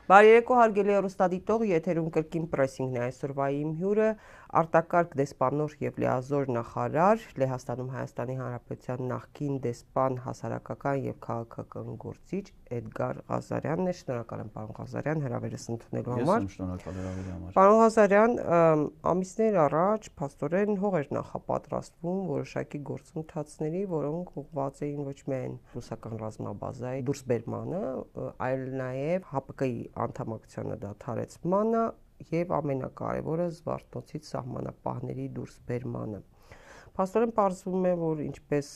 Բարերեկո հարգելի հեռուստադիտող, եթերում կրկին պրեսինգն է այսօրվա իմ հյուրը արտակարգ դեսպանոր եւ լիազոր նախարար Լեհաստանում Հայաստանի Հանրապետության նախկին դեսպան հասարակական եւ քաղաքական գործիչ Էդգար Ղազարյանն է։ Շնորհակալ եմ պարոն Ղազարյան հրավերս ընդունելու համար։ Ես շնորհակալ եմ համար։ Պարոն Ղազարյան, ամիսներ առաջ փաստորեն հող էր նախապատրաստվում որոշակի գործընթացների, որոնք ուղղված էին ոչ միայն ռուսական ռազմաբազայի դուրսբերմանը, այլ նաեւ ՀԱՊԿ-ի անդամակցությանը դադարեցմանը եւ ամենակարևորը Զվարթնոցից սահմանապահների դուրսբերմանը։ Փաստորեն պարզվում է, որ ինչպես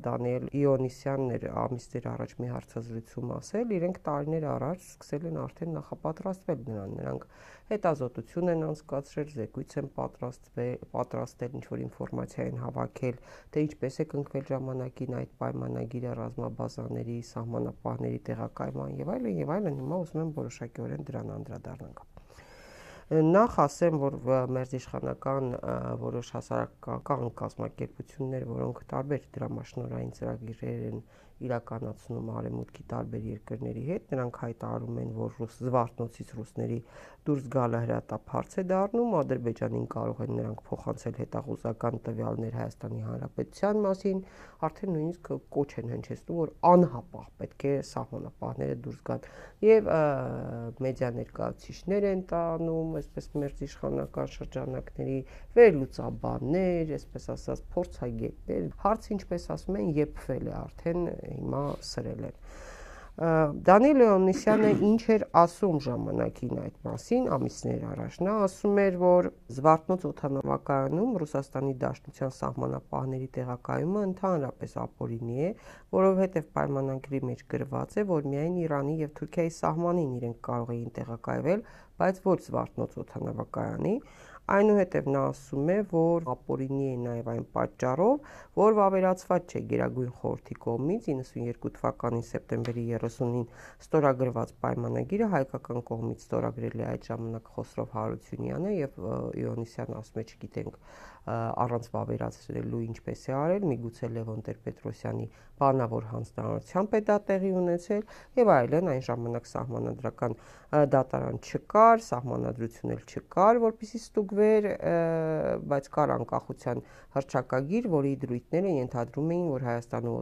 Դանիել Իոնիսյանն էր ամիսներ առաջ մի հարցազրույցում ասել, իրենք տարիներ առաջ սկսել են արդեն նախապատրաստվել նրան, նրանք հետազոտություն են անցկացրել, զեկույց են պատրաստել, ինչ-որ ինֆորմացիա են հավաքել, թե ինչպես է կնքվել ժամանակին այդ պայմանագիրը ռազմաբազաների, սահմանապահների տեղակայման եւ այլն, հիմա ուզում եմ որոշակիորեն դրան անդրադառնանք։ Նախ ասեմ, որ մերձիշխանական որոշ հասարակական կազմակերպություններ, որոնք տարբեր դրամաշնորհային ծրագրեր են իրականացնում արևմուտքի տարբեր երկրների հետ, նրանք հայտարարում են, որ Զվարթնոցից ռուսների դուրս գալը հրատապարծ է դառնում, Ադրբեջանին կարող են նրանք փոխանցել հետախուզական տվյալներ Հայաստանի Հանրապետության մասին, արդեն նույնիսկ կոչ են հնչեցնում, որ անհապաղ պետք է սահմանապահները դուրս գան եւ մեդիա ներկայացուցիչներ են տանում, այսպես մերձիշխանական շրջանակների վերլուծաբաններ, այսպես ասած փորձագետներ, հարցը ինչպես ասում են, եփվել է արդեն հիմա սրել են։ Դանիել Իոնիսյանը ինչ էր ասում ժամանակին այդ մասին ամիսներ առաջ։ Նա ասում էր, որ Զվարթնոց օդանավակայանում Ռուսաստանի Դաշնության սահմանապահների տեղակայումը ընդհանրապես ապօրինի է, որովհետև պայմանագրի մեջ գրված է, որ միայն Իրանի եւ Թուրքիայի սահմանին իրենք կարող էին տեղակայվել, բայց ոչ Զվարթնոց օդանավակայանի։ Այնուհետև նա ասում է, որ ապօրինի է նաև այն պատճառով, որ վավերացված չէ Գերագույն խորհրդի կողմից 92 թվականի սեպտեմբերի 30-ին ստորագրված պայմանագիրը հայկական կողմից ստորագրել է այդ ժամանակ Խոսրով Հարությունյանը եւ Իոնիսյանը ասում է, չգիտենք առանց վավերացնելու ինչպես է արել, միգուցե Լևոն Տեր-Պետրոսյանի բանավոր հանձնարարությամբ է դա տեղի ունեցել եւ այլն, այն ժամանակ սահմանադրական դատարան չկար, սահմանադրություն էլ չկար, որպեսզի ստուգվեր, բայց կար անկախության հռչակագիր, որի դրույթները ենթադրում էին, որ Հայաստանում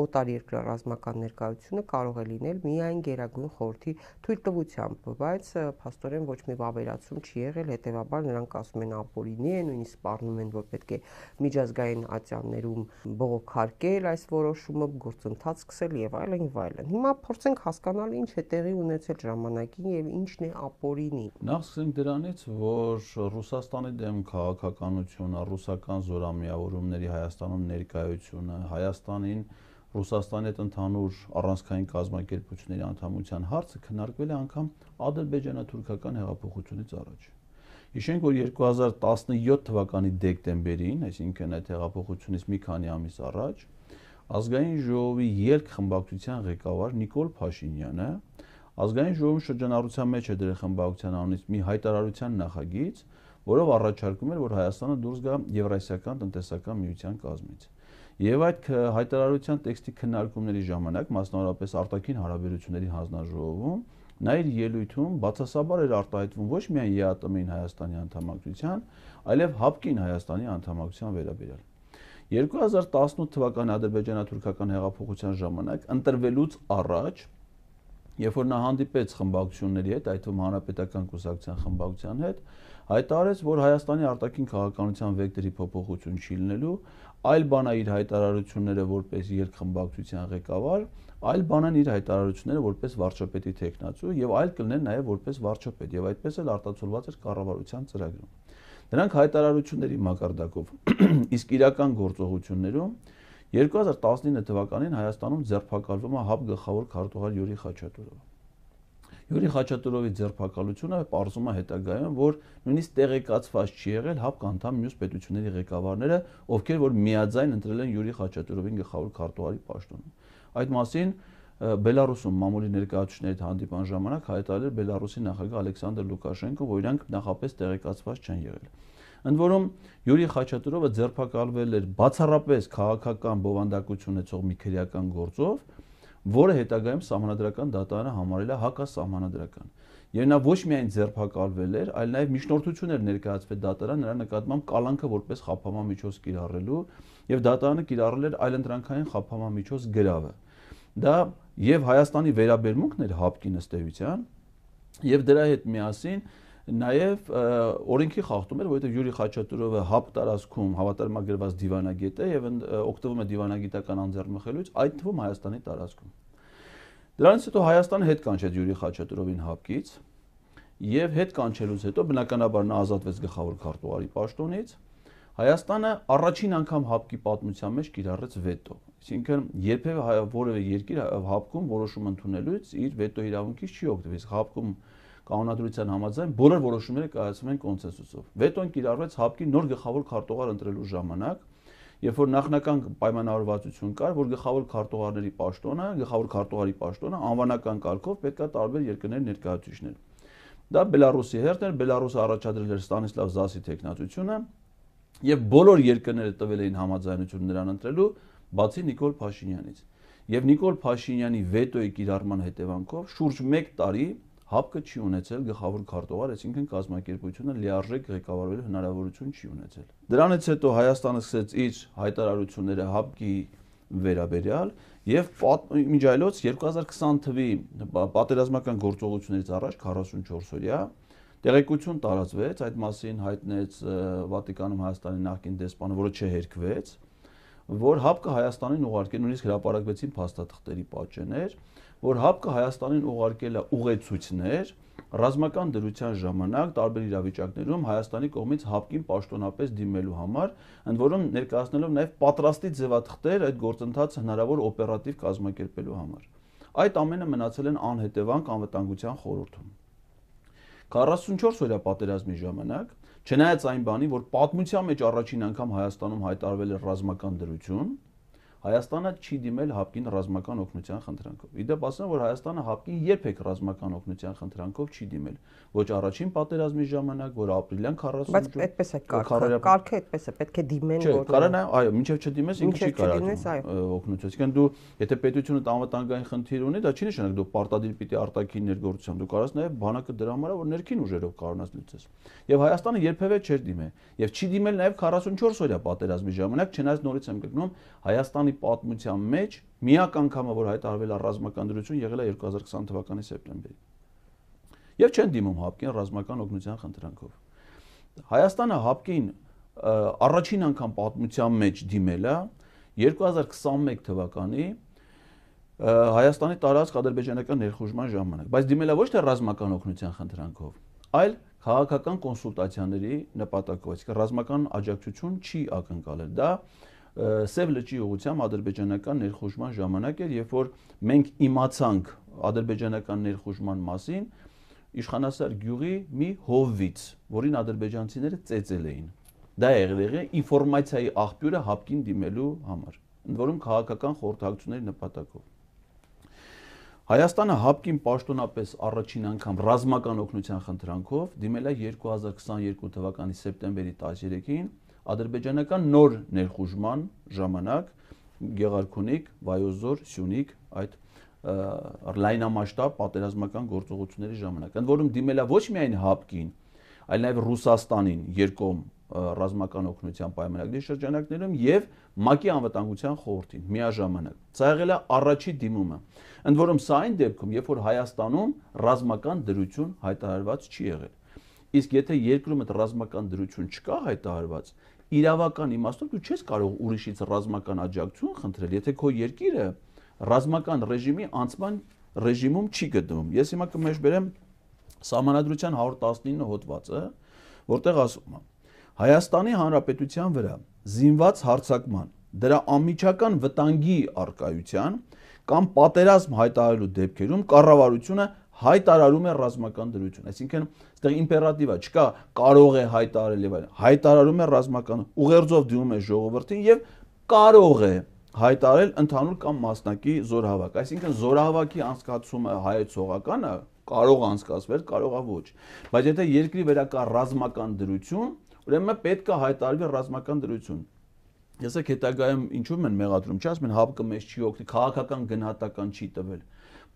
օտարերկրյա ռազմական ներկայությունը կարող է լինել միայն Գերագույն խորհրդի թույլտվությամբ, բայց փաստորեն ոչ մի վավերացում չի եղել, հետեւաբար նրանք ասում են ապօրինի է, նույնիսկ սպառնում են, որ պետք է միջազգային ատյաններում բողոքարկել այս որոշումը, գործընթաց սկսել եւ այլն եւ այլն։ Հիմա փորձենք հասկանալ ինչ է տեղի ունեցել ժամանակին եւ ինչն է ապօրինի։ Նախ սկսենք դրանից, որ Ռուսաստանի դեմ քաղաքականությունը, ռուսական զորամիավորումների Հայաստանում ներկայությունը, Հայաստանին Ռուսաստանի հետ ընդհանուր առանցքային կազմակերպությունների անդամության հարցը քննարկվել է անգամ ադրբեջանա-թուրքական հեղափոխությունից առաջ։ Հիշենք, որ 2017 թվականի դեկտեմբերին, այսինքն այդ հեղափոխությունից մի քանի ամիս առաջ, Ազգային ժողովի ելք խմբակցության ղեկավար Նիկոլ Փաշինյանը Ազգային ժողովի շրջանառության մեջ է դրել խմբակցության անունից մի հայտարարության նախագիծ, որով առաջարկում էր, որ Հայաստանը դուրս գա Եվրասիական տնտեսական միության կազմից։ Եվ այդ հայտարարության տեքստի քննարկումների ժամանակ, մասնավորապես արտաքին հարաբերությունների հանձնաժողովում, նա իր ելույթում բացասաբար էր արտահայտվում ոչ միայն ԵԱՏՄ-ին Հայաստանի անդամակցության, այլև ՀԱՊԿ-ին Հայաստանի անդամակցության վերաբերյալ։ 2018 թվականի ադրբեջանա-թուրքական հեղափոխության ժամանակ ընտրվելուց առաջ, երբ որ նա հանդիպեց խմբակցությունների հետ, այդ թվում Հանրապետական կուսակցության խմբակցության հետ, հայտարարեց, որ Հայաստանի արտաքին քաղաքականության վեկտորի փոփոխություն չի լինելու, այլ բան է իր հայտարարությունները որպես երկխմբակցության ղեկավար, այլ բան են իր հայտարարությունները որպես վարչապետի թեկնածու եւ այլ կլինեն նաեւ որպես վարչապետ եւ այդպես էլ արտացոլված էր կառավարության ծրագրում։ Դրանք հայտարարությունների մակարդակով, իսկ իրական գործողություններում 2019 թվականին Հայաստանում ձերբակալվում է ՀԱՊ գլխավոր քարտուղար Յուրի Խաչատուրովը։ Յուրի Խաչատուրովի ձերբակալությունը պարզում է հետագայում, որ նույնիսկ տեղեկացված չի եղել ՀԱՊԿ անդամ մյուս պետությունների ղեկավարները, ովքեր որ միաձայն ընտրել են Յուրի Խաչատուրովին գլխավոր քարտուղարի պաշտոնում։ Այդ մասին Բելարուսում մամուլի ներկայացուցիչների հետ հանդիպան ժամանակ հայտարարել Բելարուսի նախագահ Ալեքսանդր Լուկաշենկոն, որ իրանք նախապես տեղեկացված չեն եղել։ Ընդ որում Յուրի Խաչատուրովը ձերբակալվել էր բացառապես քաղաքական բովանդակություն ունեցող մի քրեական գործով, որը հետագայում սահմանադրական դատարանը համարել է հակասահմանադրական։ Եվ նա ոչ միայն ձերբակալվել էր, այլ նաև միջնորդություն էր ներկայացվել դատարան նրա նկատմամբ կալանքը որպես խափանման միջոց կիրառելու, եւ դատարանը կիրառել էր այլընտրանքային խափանման միջոց գրավը։ Դա եւ Հայաստանի վերաբերմունքն էր ՀԱՊԿ-ի ըստ էության, եւ դրա հետ միասին նաև օրենքի խախտում էր, որովհետև Յուրի Խաչատուրովը ՀԱՊԿ տարածքում հավատարմագրված դիվանագետ է եւ օգտվում է դիվանագիտական անձեռնմխելուց, այդ թվում Հայաստանի տարածքում։ Դրանից հետո Հայաստանը հետ կանչեց Յուրի Խաչատուրովին ՀԱՊԿ-ից եւ հետ կանչելուց հետո բնականաբար նա ազատվեց գլխավոր քարտուղարի պաշտոնից։ Հայաստանը առաջին անգամ ՀԱՊԿ-ի պատմության մեջ կիրառեց վետո, այսինքն երբևէ որևէ երկիր ՀԱՊԿ-ում որոշում ընդունելուց իր վետո իրավունքից չի օգտվել, ՀԱՊԿ-ում կանոնադրության համաձայն բոլոր որոշումները կայացվում են կոնսենսուսով։ Վետոն կիրառվեց ՀԱՊԿ-ի նոր գլխավոր քարտուղար ընտրելու ժամանակ, երբ որ նախնական պայմանավորվածություն կար, որ գլխավոր քարտուղարի պաշտոնը անվանական կարգով պետք է տարբեր երկրների ներկայացուցիչներ։ Դա Բելարուսի հերթն էր, Բելարուսը առաջադրել էր Ստանիսլավ Զասի թեկնածությունը, եւ բոլոր երկրները տվել էին համաձայնություն նրան ընտրելու, բացի Նիկոլ Փաշինյանից։ Եվ Նիկոլ Փաշինյանի վետոյի կիրառման հետևանքով շուրջ 1 տարի ՀԱՊԿ-ը չի ունեցել գլխավոր քարտուղար, այսինքն կազմակերպությունը լիարժեք ղեկավարելու հնարավորություն չի ունեցել։ Դրանից հետո Հայաստանը սկսեց իր հայտարարությունները ՀԱՊԿ-ի վերաբերյալ եւ մինչ այլոց 2020 թվականի պատերազմական գործողություններից առաջ 44 օրյա տեղեկություն տարածվեց, այդ մասին հայտնեց Վատիկանում Հայաստանի նախկին դեսպանը, որը չհերքվեց, որ ՀԱՊԿ-ը Հայաստանին ուղարկել, նույնիսկ հրապարակվեցին փաստաթղթերի պատճեններ, որ ՀԱՊԿ-ը Հայաստանին ուղարկել է ուղեցույցներ ռազմական դրության ժամանակ տարբեր իրավիճակներում Հայաստանի կողմից ՀԱՊԿ-ին պաշտոնապես դիմելու համար, ընդ որում ներկայացնելով նաև պատրաստի ձևաթղթեր այդ գործընթացը հնարավոր օպերատիվ կազմակերպելու համար։ Այդ ամենը մնացել են անհետևանք անվտանգության խորհրդում։ 44 օրյա պատերազմի ժամանակ, չնայած այն բանի, որ պատմության մեջ առաջին անգամ Հայաստանում հայտարարվել է ռազմական դրություն, Հայաստանը չի դիմել ՀԱՊԿ-ին ռազմական օգնության խնդրանքով։ Իդեպ ասեմ, որ Հայաստանը ՀԱՊԿ-ին երբեք ռազմական օգնության խնդրանքով չի դիմել։ Ոչ առաջին պատերազմի ժամանակ, որ ապրիլյան 40 Բայց այդպես է կարգը այդպես է, պետք է դիմեն, որ կարա նա, այո, մինչև չդիմես ինքը չի կարող օգնություն։ Այսինքն դու եթե պետությունը անվտանգային խնդիր ունի, դա չի նշանակում դու պարտադիր պիտի արտաքին ներգործությամբ, դու կարաս նաև բանակը դրա համար որ ներքին ուժերով կարողանաս լուծես։ Եվ Հայաստանը երբևէ չէր դիմել։ Եվ չի դիմել նաև 44 օրյա պատերազմի ժամանակ, չնայած նորից եմ գտնում Հայաստանի պատմության մեջ միակ անգամը, որ հայտարարվել է ռազմական դրություն, եղել է 2020 թվականի սեպտեմբերին։ Եվ չեն դիմում ՀԱՊԿ-ին ռազմական օգնության խնդրանքով։ Հայաստանը ՀԱՊԿ-ին առաջին անգամ պատմության մեջ դիմել է 2021 թվականի Հայաստանի տարածք ադրբեջանական ներխուժման ժամանակ, բայց դիմել է ոչ թե ռազմական օգնության խնդրանքով, այլ քաղաքական կոնսուլտացիաների նպատակով, այսինքն ռազմական աջակցություն չի ակնկալել։ Դա Սև լճի ուղղությամբ ադրբեջանական ներխուժման ժամանակ էր, երբ որ մենք իմացանք ադրբեջանական ներխուժման մասին Իշխանասար գյուղի մի հովվից, որին ադրբեջանցիները ծեծել էին։ Դա եղել է ինֆորմացիայի աղբյուրը ՀԱՊԿ-ին դիմելու համար, ընդ որում քաղաքական խորհրդակցությունների նպատակով։ Հայաստանը ՀԱՊԿ-ին պաշտոնապես առաջին անգամ ռազմական օգնության խնդրանքով դիմել է 2022 թվականի սեպտեմբերի 13-ին ադրբեջանական նոր ներխուժման ժամանակ Գեղարքունիք, Վայոց-Ձոր, Սյունիք այդ լայնամասշտաբ պատերազմական գործողությունների ժամանակ, ընդ որում դիմել է ոչ միայն ՀԱՊԿ-ին, այլ նաև Ռուսաստանին երկկողմ ռազմական օգնության պայմանագրի շրջանակներում եւ ՄԱԿ-ի անվտանգության խորհրդին միաժամանակ։ Սա եղել է առաջի դիմումը։ Ընդ որում սա այն դեպքում, երբ որ Հայաստանում ռազմական դրություն հայտարարված չի եղել։ Իսկ եթե երկրում այդ ռազմական դրություն չկա հայտարարված, իրավական իմաստով դու չես կարող ուրիշից ռազմական աջակցություն խնդրել, եթե քո երկիրը ռազմական ռեժիմի անցման ռեժիմում չի գտնվում։ Ես հիմա կմեջբերեմ Սահմանադրության 119 հոդվածը, որտեղ ասում է. Հայաստանի Հանրապետության վրա զինված հարձակման, դրա անմիջական վտանգի առկայության կամ պատերազմ հայտարարելու դեպքերում կառավարությունը հայտարարում է ռազմական դրություն։ Այսինքն, այստեղ իմպերատիվ է, չկա կարող է հայտարարել եւ այլն։ Հայտարարում է ռազմական, ուղերձով դիմում է ժողովրդին եւ կարող է հայտարարել ընդհանուր կամ մասնակի զորահավաք։ Այսինքն զորահավաքի անցկացումը հայեցողականը կարող է անցկացվել, կարող է ոչ։ Բայց եթե երկրի վրա կա ռազմական դրություն, ուրեմն պետք է հայտարարվի ռազմական դրություն։ Եսեք հետագայում ինչու՞ են մեղադրում, չի ասում են ՀԱՊԿ-ը մեզ չի օգնի, քաղաքական գնահատական չի տվել։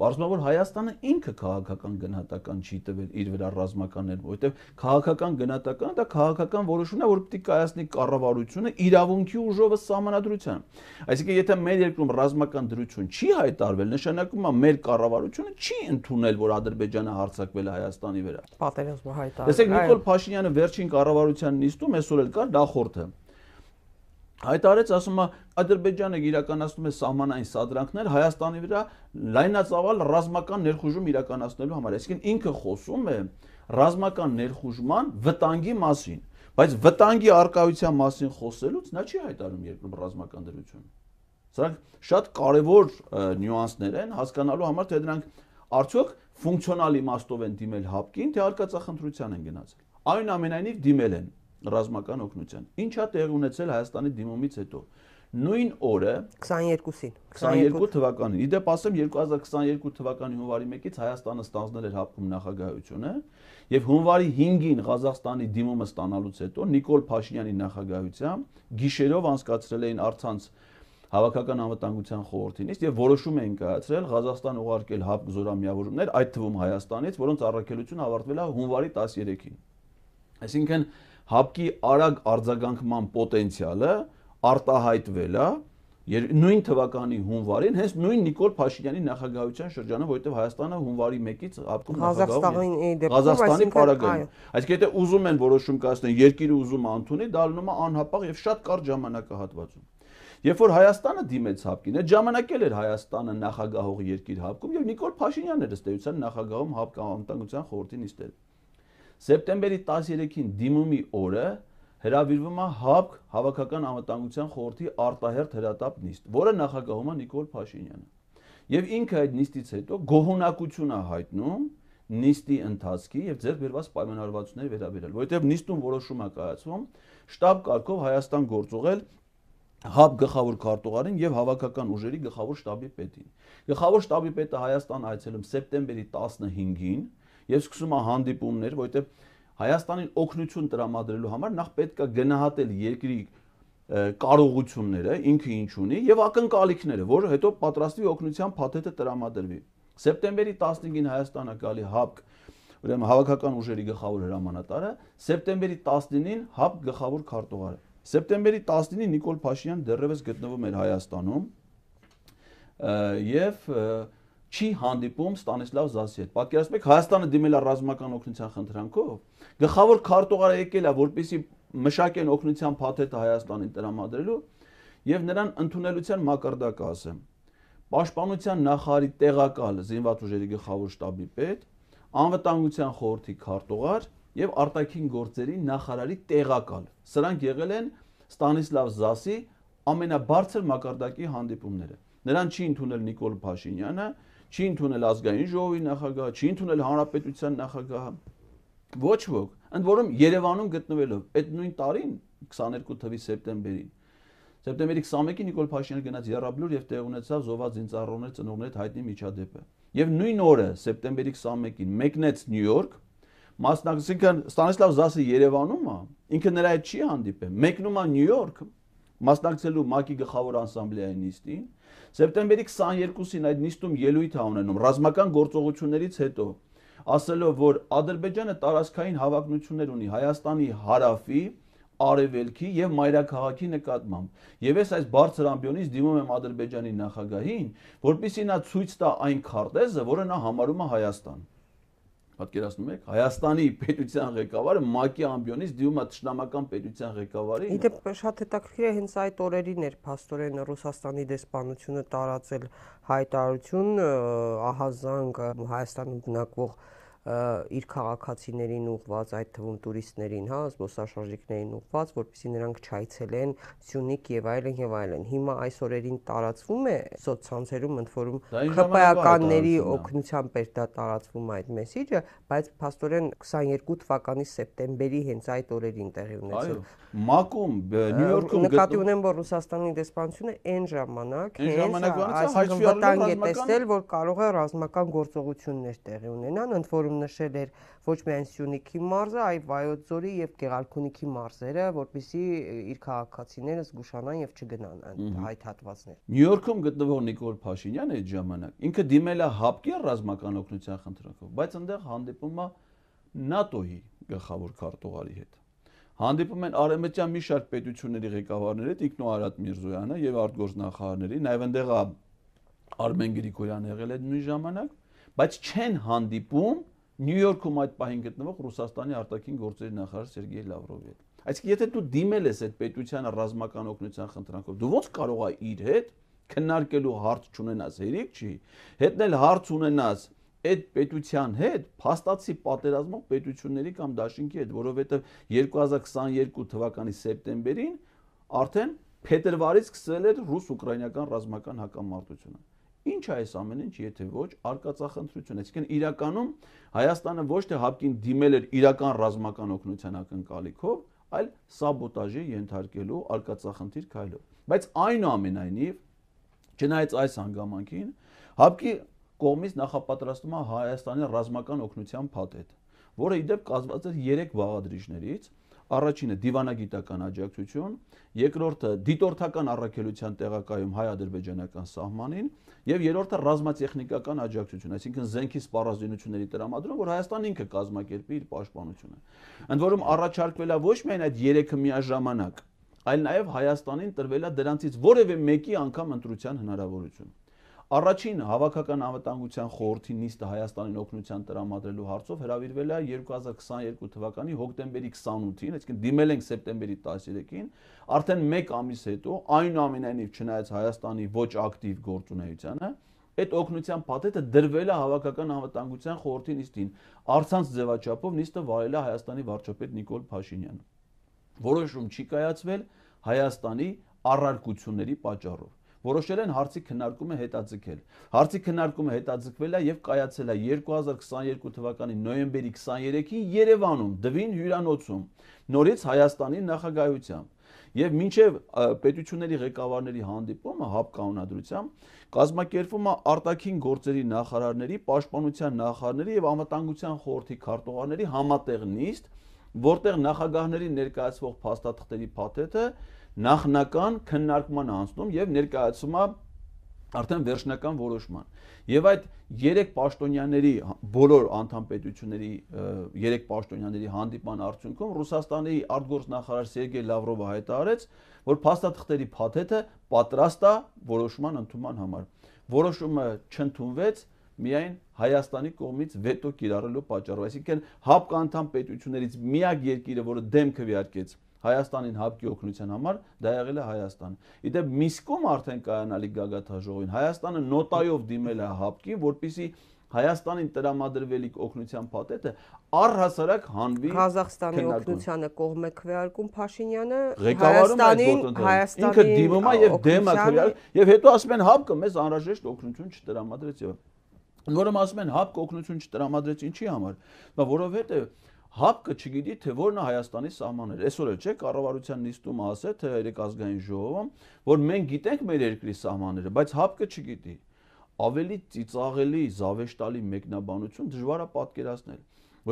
Պարզվում է, որ Հայաստանը ինքը քաղաքական գնահատական չի տվել իր վրա ռազմականներ, որովհետև քաղաքական գնահատականը դա քաղաքական որոշումն է, որ պետք է կայացնի կառավարությունը իրավունքի ուժով սահմանադրության։ Այսինքն, եթե մեր երկրում ռազմական դրություն չի հայտարարվել, նշանակում է մեր կառավարությունը չի ընդունել, որ Ադրբեջանը հարձակվել է Հայաստանի վրա։ Պատերազմը հայտարարել։ Տեսեք, Նիկոլ Փաշինյանը վերջին կառավարության նիստում այսօր էլ կար նախորդը հայտարարեց, ասում է Ադրբեջանը իրականացնում է սահմանային սադրանքներ Հայաստանի վրա լայնածավալ ռազմական ներխուժում իրականացնելու համար։ Այսինքն ինքը խոսում է ռազմական ներխուժման վտանգի մասին, բայց վտանգի արկայության մասին խոսելուց նա չի հայտարարում երկրում ռազմական դրություն։ Սրանք շատ կարևոր նյուանսներ են հասկանալու համար, թե դրանք արդյոք ֆունկցիոնալ իմաստով են դիմել ՀԱՊԿ-ին, թե արկածախնդրության են գնացել։ Այնուամենայնիվ դիմել են ռազմական օգնության։ Ինչա տեղ ունեցել Հայաստանի դիմումից հետո։ Նույն օրը 22-ին 22 թվականին, իդեպ ասեմ 2022 թվականի հունվարի 1-ից Հայաստանը ստանձնել էր ՀԱՊԿ-ում նախագահությունը եւ հունվարի 5-ին Ղազախստանի դիմումը ստանալուց հետո Նիկոլ Փաշինյանի նախագահությամբ գիշերով անցկացրել էին առցանց Հավաքական անվտանգության խորհրդի նիստ եւ որոշում էին կայացրել Ղազախստան ուղարկել ՀԱՊԿ զորամիավորումներ, այդ թվում Հայաստանից, որոնց առաքելությունը ավարտվել է հունվարի 13-ին։ Այսինքն ՀԱՊԿ-ի արագ արձագանքման պոտենցիալը արտահայտվել է նույն թվականի հունվարին, հենց նույն Նիկոլ Փաշինյանի նախագահության շրջանում, որովհետև Հայաստանը հունվարի 1-ից ՀԱՊԿ-ում Ղազախստանի պարագայում։ Այսինքն եթե ուզում են որոշում կայացնել, երկիրը ուզում է ընդունի, դա լինում է անհապաղ եւ շատ կարճ ժամանակահատվածում։ Երբ որ Հայաստանը դիմեց ՀԱՊԿ-ին, այդ ժամանակ էլ էր Հայաստանը նախագահող երկիր ՀԱՊԿ-ում եւ Նիկոլ Փաշինյանն էր ըստ էության նախագահում ՀԱՊԿ անվտանգության խորհրդի նիստերը։ Սեպտեմբերի 13-ին դիմումի օրը հրավիրվում է ՀԱՊԿ Հավաքական անվտանգության խորհրդի արտահերթ հրատապ նիստ, որը նախագահում է Նիկոլ Փաշինյանը։ Եվ ինքը այդ նիստից հետո գոհունակություն է հայտնում նիստի ընթացքի եւ ձեռք բերված պայմանավորվածությունների վերաբերյալ, որովհետեւ նիստում որոշում է կայացվում շտաբ կարգով Հայաստան գործուղել ՀԱՊԿ գլխավոր քարտուղարին եւ հավաքական ուժերի գլխավոր շտաբի պետին։ Գլխավոր շտաբի պետը Հայաստան այցելում սեպտեմբերի 15-ին եւ սկսում է հանդիպումներ, որովհետեւ Հայաստանին օգնություն տրամադրելու համար նախ պետք է գնահատել երկրի կարողությունները, ինքը ինչ ունի եւ ակնկալիքները, որ հետո պատրաստվի օգնության փաթեթը տրամադրվի։ Սեպտեմբերի 15-ին Հայաստանը գալի ՀԱՊԿ, ուրեմն հավաքական ուժերի գլխավոր հրամանատարը, սեպտեմբերի 19-ին ՀԱՊԿ գլխավոր քարտուղարը։ Սեպտեմբերի 19-ին Նիկոլ Փաշինյանը դեռևս գտնվում էր Հայաստանում եւ չի հանդիպում Ստանիսլավ Զասի հետ։ Պատկերացնեք, Հայաստանը դիմել է ռազմական օգնության խնդրանքով, գլխավոր քարտուղարը եկել է, որպեսզի մշակեն օգնության փաթեթը Հայաստանին տրամադրելու եւ նրան ընդունելության մակարդակը ասեմ։ Պաշտպանության նախարարի տեղակալ զինված ուժերի գլխավոր շտաբի պետ, անվտանգության խորհրդի քարտուղար եւ արտաքին գործերի նախարարի տեղակալ։ Սրանք եղել են Ստանիսլավ Զասի ամենաբարձր մակարդակի հանդիպումները։ Նրան չի ընդունել Նիկոլ Փաշինյանը, չի ընդունել ազգային ժողովի նախագահը, չի ընդունել հանրապետության նախագահը։ Ոչ ոք, ընդ որում Երևանում գտնվելով այդ նույն տարին 22 թվականի սեպտեմբերին Սեպտեմբերի 21-ին Նիկոլ Փաշինյանը գնաց Եռաբլուր եւ տեղ ունեցավ զոհված զինծառայողների ծնողների հետ հայտնի միջադեպը։ Եվ նույն օրը սեպտեմբերի 21-ին մեկնեց Նյու Յորք, մասնակցին Ստանիսլավ Զասը Երևանում է, ինքը նրա հետ չի հանդիպել, մեկնում է Նյու Յորք, մասնակցելու ՄԱԿ-ի գլխավոր ասամբլեայի նիստին։ Սեպտեմբերի 22-ին այդ նիստում ելույթ է ունենում ռազմական գործողություններից հետո, ասելով, որ Ադրբեջանը տարածքային հավակնություններ ունի Հայաստանի հարավի, արևելքի եւ մայրաքաղաքի նկատմամբ։ Եվ այս բարձր ամբիոնից դիմում եմ Ադրբեջանի նախագահին, որպեսզի նա ցույց տա այն քարտեզը, որը նա համարում է Հայաստան։ Պատկերացնում եք, Հայաստանի պետության ղեկավարը ՄԱԿ-ի ամբիոնից դիմում է թշնամական պետության ղեկավարին։ Իդեպ շատ հետաքրքիր է հենց այդ օրերին էր փաստորեն Ռուսաստանի դեսպանությունը տարածել հայտարարություն ահազանգ Հայաստանում բնակվող իր քաղաքացիներին ուղված, այդ թվում տուրիստներին, հա, զբոսաշրջիկներին ուղված, որպեսզի նրանք չայցելեն Սյունիք եւ այլն եւ այլն։ Հիմա այս օրերին տարածվում է սոցցանցերում, ընդ որում ԿՊԱ-կանների օգնությամբ էր դա տարածվում այդ մեսիջը, բայց փաստորեն 22 թվականի սեպտեմբերի հենց այդ օրերին տեղի ունեցել։ ՄԱԿ-ում, Նյու Յորքում նկատի ունեմ, որ Ռուսաստանի դեսպանությունը այն ժամանակ հենց վտանգ է տեսել, որ կարող է ռազմական գործողություններ տեղի ունենան, ընդ որում հաղորդագրում նշել էր ոչ միայն Սյունիքի մարզը, այլ Վայոց ձորի եւ Գեղարքունիքի մարզերը, որպեսզի իր քաղաքացիները զգուշանան եւ չգնան այդ հատվածներ։ Նյու Յորքում գտնվող Նիկոլ Փաշինյանը այդ ժամանակ ինքը դիմել է ՀԱՊԿ-ի ռազմական օգնության խնդրանքով, բայց այնտեղ հանդիպում է ՆԱՏՕ-ի գլխավոր քարտուղարի հետ։ Հանդիպում են արևմտյան մի շարք պետությունների ղեկավարների հետ, ինքն ու Արադ Միրզոյանը եւ արտգործնախարարների, նաեւ այնտեղ Արմեն Գրիգորյանը եղել է նույն ժամանակ, բայց չեն հանդիպում Նյու Յորքում այդ պահին գտնվող Ռուսաստանի արտաքին գործերի նախարար Սերգեյ Լավրովի հետ։ Այսինքն եթե դու դիմել ես այդ պետությանը ռազմական օգնության խնդրանքով, դու ո՞նց կարող ես իր հետ քննարկելու հարց չունենաս, հերիք չի, հետնել հարց ունենաս այդ պետության հետ, փաստացի պատերազմող պետությունների կամ դաշինքի հետ, որովհետև 2022 թվականի սեպտեմբերին արդեն փետրվարից սկսել էր ռուս-ուկրաինական ռազմական հակամարտությունը։ Ինչ է այս ամեն ինչ, եթե ոչ արկածախնդրություն, այսինքն իրականում Հայաստանը ոչ թե ՀԱՊԿ-ին դիմել էր իրական ռազմական օգնության ակնկալիքով, այլ սաբոտաժի ենթարկելու արկածախնդիր քայլով։ Բայց այնուամենայնիվ, չնայած այս հանգամանքին, ՀԱՊԿ-ի կողմից նախապատրաստվում է Հայաստանի ռազմական օգնության փաթեթ, որը ի դեպ կազմված է 3 բաղադրիչներից, առաջինը դիվանագիտական աջակցություն, երկրորդը դիտորդական առաքելության տեղակայում հայ-ադրբեջանական սահմանին եւ երրորդը ռազմատեխնիկական աջակցություն, այսինքն զենքի սպառազինությունների տրամադրում, որ Հայաստանն ինքը կազմակերպի իր պաշտպանությունը։ Ընդ որում առաջարկվել է ոչ միայն այդ 3-ը միաժամանակ, այլ նաեւ Հայաստանին տրվել է դրանցից որևէ մեկի անգամ ընտրության հնարավորություն։ Առաջին հավաքական անվտանգության խորհրդի նիստը Հայաստանին օգնության տրամադրելու հարցով հրավիրվել է 2022 թվականի հոկտեմբերի 28-ին, այսինքն դիմել ենք սեպտեմբերի 13-ին, արդեն 1 ամիս հետո, այնուամենայնիվ չնայած Հայաստանի ոչ ակտիվ գործունեությանը, այդ օգնության փաթեթը դրվել է հավաքական անվտանգության խորհրդի նիստին, առցանց ձևաչափով նիստը վարել է Հայաստանի վարչապետ Նիկոլ Փաշինյանը։ Որոշում չի կայացվել Հայաստանի առարկությունների պատճառով։ Որոշել են հարցի քննարկումը հետաձգել։ Հարցի քննարկումը հետաձգվել է եւ կայացել է 2022 թվականի նոյեմբերի 23-ին Երևանում, Դվին հյուրանոցում, նորից Հայաստանի նախագահությամբ։ Եվ մինչև պետությունների ղեկավարների հանդիպումը ՀԱՊԿ կանոնադրությամբ կազմակերպվում է արտաքին գործերի նախարարների, պաշտպանության նախարարների եւ անվտանգության խորհրդի քարտուղարների համատեղ նիստ, որտեղ նախագահների ներկայացվող փաստաթղթերի փաթեթը նախնական քննարկման անցնում եւ ներկայացում է արդեն վերջնական որոշման։ Եվ այդ 3 պաշտոնյաների բոլոր անդամ պետությունների 3 պաշտոնյաների հանդիպման արդյունքում Ռուսաստանի արտգործնախարար Սերգեյ Լավրովը հայտարարեց, որ փաստաթղթերի փաթեթը պատրաստ է որոշման ընդունման համար։ Որոշումը չընդունվեց միայն Հայաստանի կողմից վետո կիրառելու պատճառով, այսինքն ՀԱՊԿ անդամ պետություններից միակ երկիրը, որը դեմ քվեարկեց Հայաստանին ՀԱՊԿ-ի օգնության համար, դա եղել է Հայաստանը։ Իդեպ Միսկում արդեն կայանալիք գագաթաժողովին Հայաստանը նոտայով դիմել է ՀԱՊԿ-ին, որպեսզի Հայաստանին տրամադրվելիք օգնության փաթեթը առհասարակ հանվի Ղազախստանի օգնությանը կողմ է քվեարկում Փաշինյանը, Հայաստանի ինքը դիմում է եւ դեմ է քվեարկում եւ հետո ասում են ՀԱՊԿ-ը մեզ անհրաժեշտ օգնություն չտրամադրեց եւ որում ասում են ՀԱՊԿ-ը օգնություն չտրամադրեց ինչի համար, որովհետեւ ՀԱՊԿ-ը չգիտի թե որն է Հայաստանի սահմանները։ Այսօր էլ չէ կառավարության նիստում ասել թե երեք ազգային ժողովում, որ մենք գիտենք մեր երկրի սահմանները, բայց ՀԱՊԿ-ը չգիտի։ Ավելի ծիծաղելի, զավեշտալի մեկնաբանություն դժվար է պատկերացնել,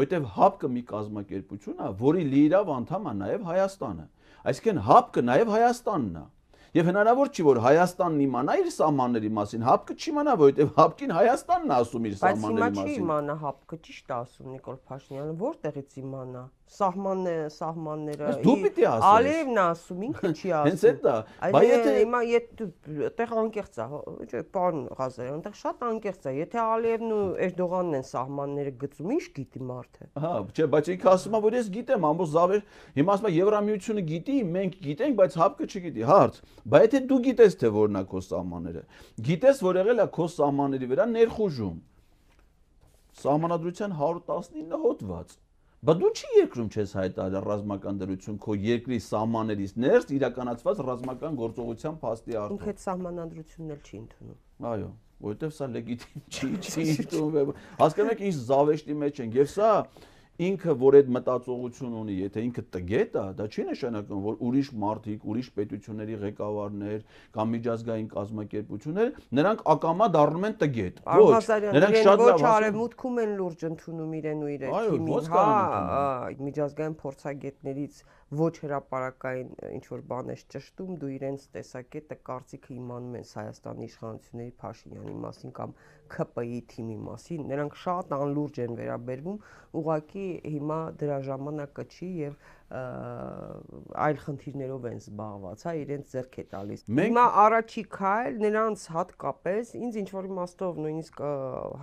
որովհետև ՀԱՊԿ-ը մի կազմակերպություն է, որի լիիրավ անդամ է նաև Հայաստանը։ Այսինքն ՀԱՊԿ-ը նաև Հայաստանն է։ Եվ հնարավոր չի որ Հայաստանն իմանա իր սահմանների մասին, ՀԱՊԿ-ը չիմանա, որովհետև ՀԱՊԿ-ին Հայաստանն է ասում իր սահմանների մասին։ Բայց հիմա չի իմանա ՀԱՊԿ-ը, ճիշտ է ասում Նիկոլ Փաշինյանը, որտեղից իմանա։ Սահմանները դու պիտի ասես։ Ալիևն է ասում, ինքը չի ասում։ Հենց այդ է։ Բայց եթե հիմա այդտեղ անկեղծ է, չէ, պարոն Ղազարյան, այնտեղ շատ անկեղծ է։ Եթե Ալիևն ու Էրդողանն են սահմանները գծում, ինչ գիտի մարդը։ Հա, չէ, բայց ինքը ասում է, որ ես գիտեմ, ամբողջ զավեր, հիմա ասում է Եվրամիությունը գիտի, մենք գիտենք, բայց ՀԱՊԿ-ը չգիտի։ Հարց։ Բայց եթե դու գիտես թե որն է քո սահմանները, գիտես որ եղել է քո սահմանների վրա ներխուժում։ Սահմանադրության 119 հոդված։ Բայց դու չի երկրում չես հայտարարել ռազմական դրություն քո երկրի սահմաններից ներս իրականացված ռազմական գործողության փաստի արդյունք։ Ինքը այդ սահմանադրությունն էլ չի ընդունում։ Այո, որովհետև սա լեգիտիմ չի ընդունվում։ Հասկանում եք ինչ զավեշտի մեջ ենք եւ սա ինքը որ այդ մտածողություն ունի, եթե ինքը տգետ է, դա չի նշանակում, որ ուրիշ մարդիկ, ուրիշ պետությունների ղեկավարներ կամ միջազգային կազմակերպություններ, նրանք ակամա դառնում են տգետ։ Ոչ, նրանք շատ լավ արևմուտքում են լուրջ ընդունում իրեն ու իր թիմին, հա, միջազգային փորձագետներից ոչ հրապարակային ինչ որ բան ես ճշտում, դու իրենց տեսակետը կարծիքը իմանում ես Հայաստանի իշխանությունների Փաշինյանի մասին կամ ՔՊԻ թիմի մասին, նրանք շատ անլուրջ են վերաբերվում, ուղղակի հիմա դրա ժամանակը չի եւ այլ խնդիրներով են զբաղված, հա, իրենց ձեռք է տալիս։ Հիմա առաջի քայլ նրանց հատկապես ինձ ինչ որ իմաստով նույնիսկ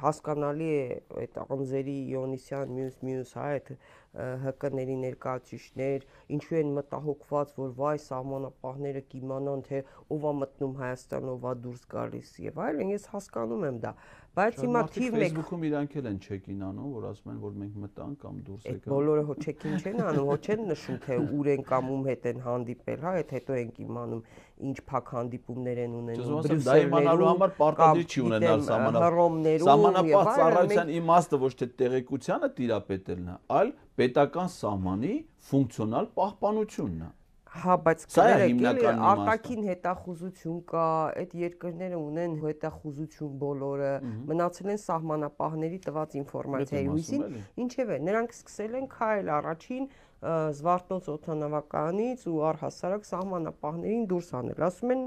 հասկանալի է այդ անձերի Իոնիսյան մյուս հա այդ ՀԿ-ների ներկայացուցիչներ ինչու են մտահոգված, որ վայ սահմանապահները կիմանան թե ով է մտնում Հայաստան, ով է դուրս գալիս եւ այլն, ես հասկանում եմ դա, բայց հիմա թիվ մեկ Facebook-ում իրանք էլ են չեկին անում, որ ասում են, որ մենք մտանք կամ դուրս եկան։ Բոլորը հո չեկին չեն անում, հո չեն նշում թե ուր են կամ ում հետ են հանդիպել, հա, այդ հետո ենք իմանում ինչ փակ հանդիպումներ են ունենում Դա իմանալու համար պարտադիր չի ունենալ սահմանապահ ծառայության իմաստը ոչ թե տեղեկությանը տիրապետելն է, այլ պետական սահմանի ֆունկցիոնալ պահպանությունն է։ Հա, բայց արտաքին հետախուզություն կա, այդ երկրները ունեն հետախուզություն բոլորը, մնացել են սահմանապահների տված ինֆորմացիայի հույսին, ինչևէ, նրանք սկսել են քայլ առաջին Զվարթնոց օդանավակայանից ու առհասարակ սահմանապահներին դուրս անել, ասում են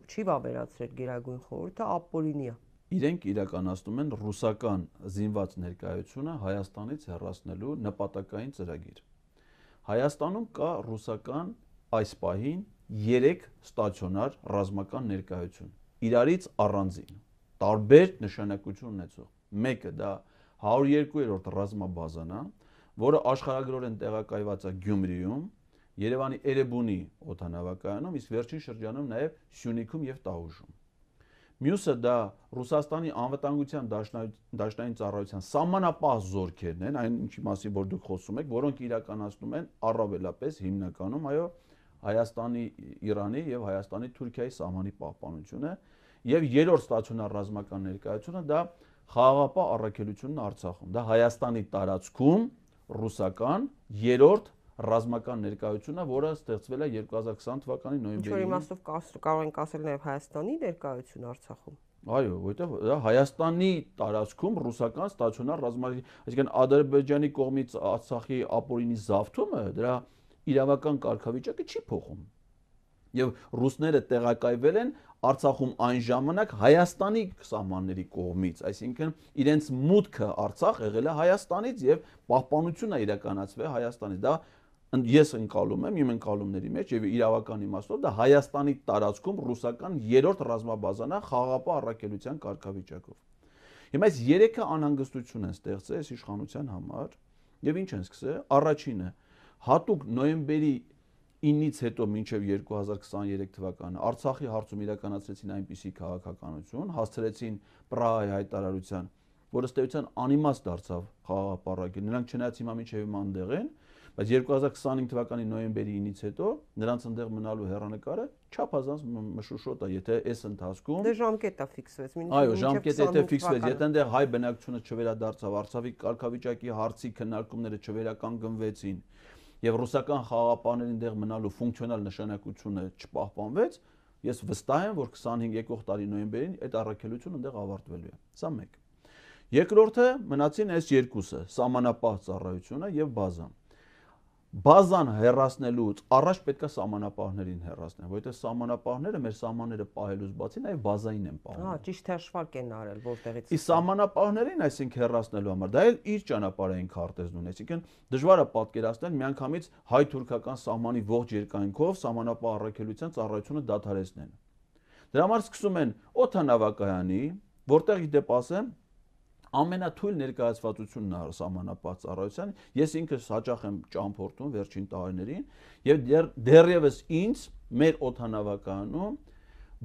չի վավերացրել Գերագույն խորհուրդը, ապօրինի է։ Իրենք իրականացնում են ռուսական զինված ներկայությունը Հայաստանից հեռացնելու նպատակային ծրագիր։ Հայաստանում կա ռուսական այս պահին 3 ստացիոնար ռազմական ներկայություն, իրարից առանձին, տարբեր նշանակություն ունեցող։ Մեկը դա 102-րդ ռազմաբազան է, որը աշխարհագրորեն տեղակայված է Գյումրիում, Երևանի Էրեբունի օդանավակայանում, իսկ վերջին շրջանում նաև Սյունիքում եւ Տաուժում։ Մյուսը դա Ռուսաստանի անվտանգության դաշնային ծառայության սահմանապահ զորքերն են, այն ինչի մասին որ դուք խոսում եք, որոնք իրականացնում են առավելապես հիմնականում, այո, Հայաստանի, Իրանի եւ Հայաստանի Թուրքիայի սահմանի պահպանությունը եւ երրորդ ստացիոնար ռազմական ներկայությունը դա խաղաղապահ առաքելությունն Արցախում։ Դա Հայաստանի տարածքում ռուսական երրորդ ռազմական ներկայությունը, որը ստեղծվել է 2020 թվականի նոյեմբերին։ Ինչ-որ իմաստով կարող ենք ասել նաև Հայաստանի ներկայություն Արցախում։ Այո, որտեղ դա Հայաստանի տարածքում ռուսական ստացիոնար ռազմական, այսինքն Ադրբեջանի կողմից Արցախի ապօրինի զավթումը դրա իրավական կարգավիճակը չի փոխում։ Եվ ռուսները տեղակայվել են Արցախում այն ժամանակ Հայաստանի սահմանների կողմից, այսինքն իրենց մուտքը Արցախ եղել է Հայաստանից եւ պահպանությունը իրականացվել Հայաստանից։ Դա ես ընկալում եմ իմ ընկալումների մեջ եւ իրավական իմաստով դա Հայաստանի տարածքում ռուսական երրորդ ռազմաբազան է խաղաղապահ առաքելության կարգավիճակով։ Հիմա այս 3-ը անհանգստություն են ստեղծել այս իշխանության համար եւ ինչ են սկսել։ Առաջինը հատուկ նոյեմբերի 9-ից հետո մինչև 2023 թվականը Արցախի հարցում իրականացրեցին այնպիսի քաղաքականություն, հասցրեցին Պրահայի հայտարարության, որը ըստ էության անիմաստ դարձավ խաղաղապահ։ Նրանք չնայած հիմա մինչև հիմա այնտեղ են, բայց 2025 թվականի նոյեմբերի 9-ից հետո նրանց այնտեղ մնալու հեռանկարը չափազանց մշուշոտ է, եթե այս ընթացքում դե ժամկետը ֆիքսվեց, այո, ժամկետը եթե ֆիքսվեց, եթե այնտեղ հայ բնակչությունը չվերադարձավ, Արցախի կարգավիճակի հարցի քննարկումները չվերականգնվեցին եւ ռուսական խաղաղապահների այնտեղ մնալու ֆունկցիոնալ նշանակությունը չպահպանվեց, ես վստահ եմ, որ 25 եկող տարի նոյեմբերին այդ առաքելությունը այնտեղ ավարտվելու է։ Սա մեկ։ Երկրորդը մնացին այս երկուսը՝ սահմանապահ ծառայությունը եւ բազան։ Բազան հեռացնելուց առաջ պետք է սահմանապահներին հեռացնել, որովհետեւ սահմանապահները մեր սահմանները պահելուց բացի նաեւ բազային են պահում։ Հա, ճիշտ հաշվարկ են արել, որտեղից։ Իսկ սահմանապահներին, այսինքն հեռացնելու համար, դա էլ իր ճանապարհային քարտեզն ունի, այսինքն դժվար է պատկերացնել միանգամից հայ-թուրքական սահմանի ողջ երկայնքով սահմանապահ առաքելության ծառայությունը դադարեցնեն։ Դրա համար սկսում են օդանավակայանի, որտեղ իդեպ ասեմ ամենաթույլ ներկայացվածությունն է սահմանապահ ծառայության, ես ինքս հաճախ եմ ճամփորդում վերջին տարիներին եւ դեռևս ինձ մեր օդանավակայանում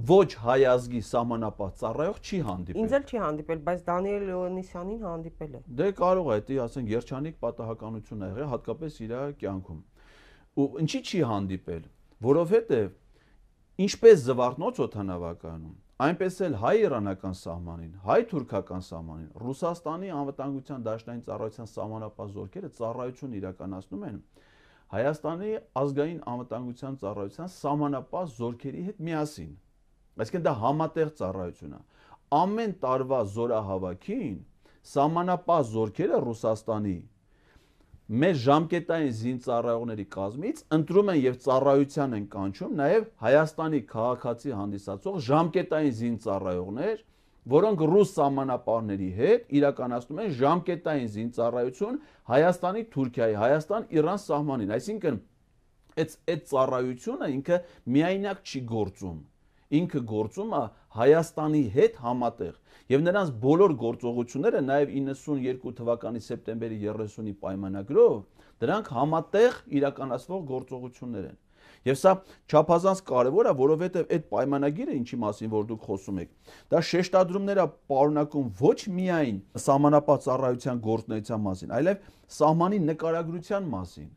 ոչ հայ ազգի սահմանապահ ծառայող չի հանդիպել։ Ինձ էլ չի հանդիպել, բայց Դանիել Լեոնիսյանին հանդիպել է։ Դե կարող է, դա ասենք երջանիկ պատահականություն ա եղել, հատկապես իր կյանքում։ Ու ինչի չի հանդիպել, որովհետեւ ինչպես Զվարթնոց օդանավակայանում, այնպես էլ հայ-իրանական սահմանին, հայ-թուրքական սահմանին, Ռուսաստանի անվտանգության դաշնային ծառայության սահմանապահ զորքերը ծառայություն իրականացնում են Հայաստանի ազգային անվտանգության ծառայության սահմանապահ զորքերի հետ միասին։ Այսինքն դա համատեղ ծառայություն է։ Ամեն տարվա զորահավաքին սահմանապահ զորքերը Ռուսաստանի մեր ժամկետային զինծառայողների կազմից ընտրում են եւ ծառայության են կանչում նաեւ Հայաստանի քաղաքացի հանդիսացող ժամկետային զինծառայողներ, որոնք ռուս սահմանապահների հետ իրականացնում են ժամկետային զինծառայություն Հայաստանի Թուրքիայի, Հայաստան-Իրան սահմանին, այսինքն այդ ծառայությունը ինքը միայնակ չի գործում, ինքը գործում է Հայաստանի հետ համատեղ եւ նրանց բոլոր գործողությունները նաեւ 92 թվականի սեպտեմբերի 30-ի պայմանագրով դրանք համատեղ իրականացվող գործողություններ են։ Եվ սա չափազանց կարևոր է, որովհետև այդ պայմանագիրը, ինչի մասին որ դուք խոսում եք, դա շեշտադրումներ է պարունակում ոչ միայն սահմանապահ ծառայության գործունեության մասին, այլև սահմանի նկարագրության մասին,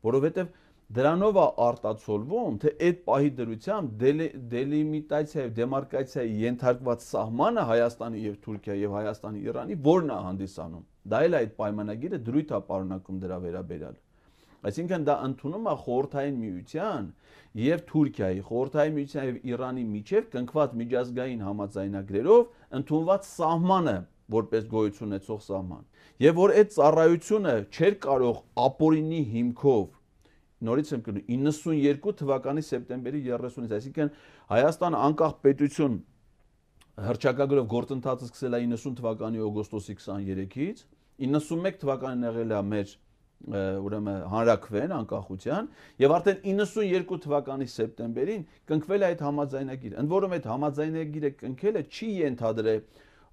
որովհետև դրանով է արտացոլվում, թե այդ պահի դրությամբ դելիմիտացիա եւ դեմարկացիայի ենթարկված սահմանը Հայաստանի եւ Թուրքիայի եւ Հայաստանի Իրանի որն է հանդիսանում։ Դա էլ այդ պայմանագիրը դրույթ է պարունակում դրա վերաբերյալ։ Այսինքն դա ընդունում է Խորհրդային Միության եւ Թուրքիայի, Խորհրդային Միության եւ Իրանի միջև կնքված միջազգային համաձայնագրերով ընդունված սահմանը, որպես գոյություն ունեցող սահման։ Եվ որ այդ ծառայությունը չէր կարող ապօրինի հիմքով, նորից եմ կրում 92 թվականի սեպտեմբերի 30-ից, այսինքն Հայաստանը անկախ պետություն հռչակագրով գործընթացը սկսել է 90 թվականի օգոստոսի 23-ից, 91 թվականին եղել է մեր ուրեմն հանրաքվեն անկախության եւ արդեն 92 թվականի սեպտեմբերին կնքվել է այդ համաձայնագիրը։ Ընդ որում այդ համաձայնագիրը կնքելը չի ենթադրել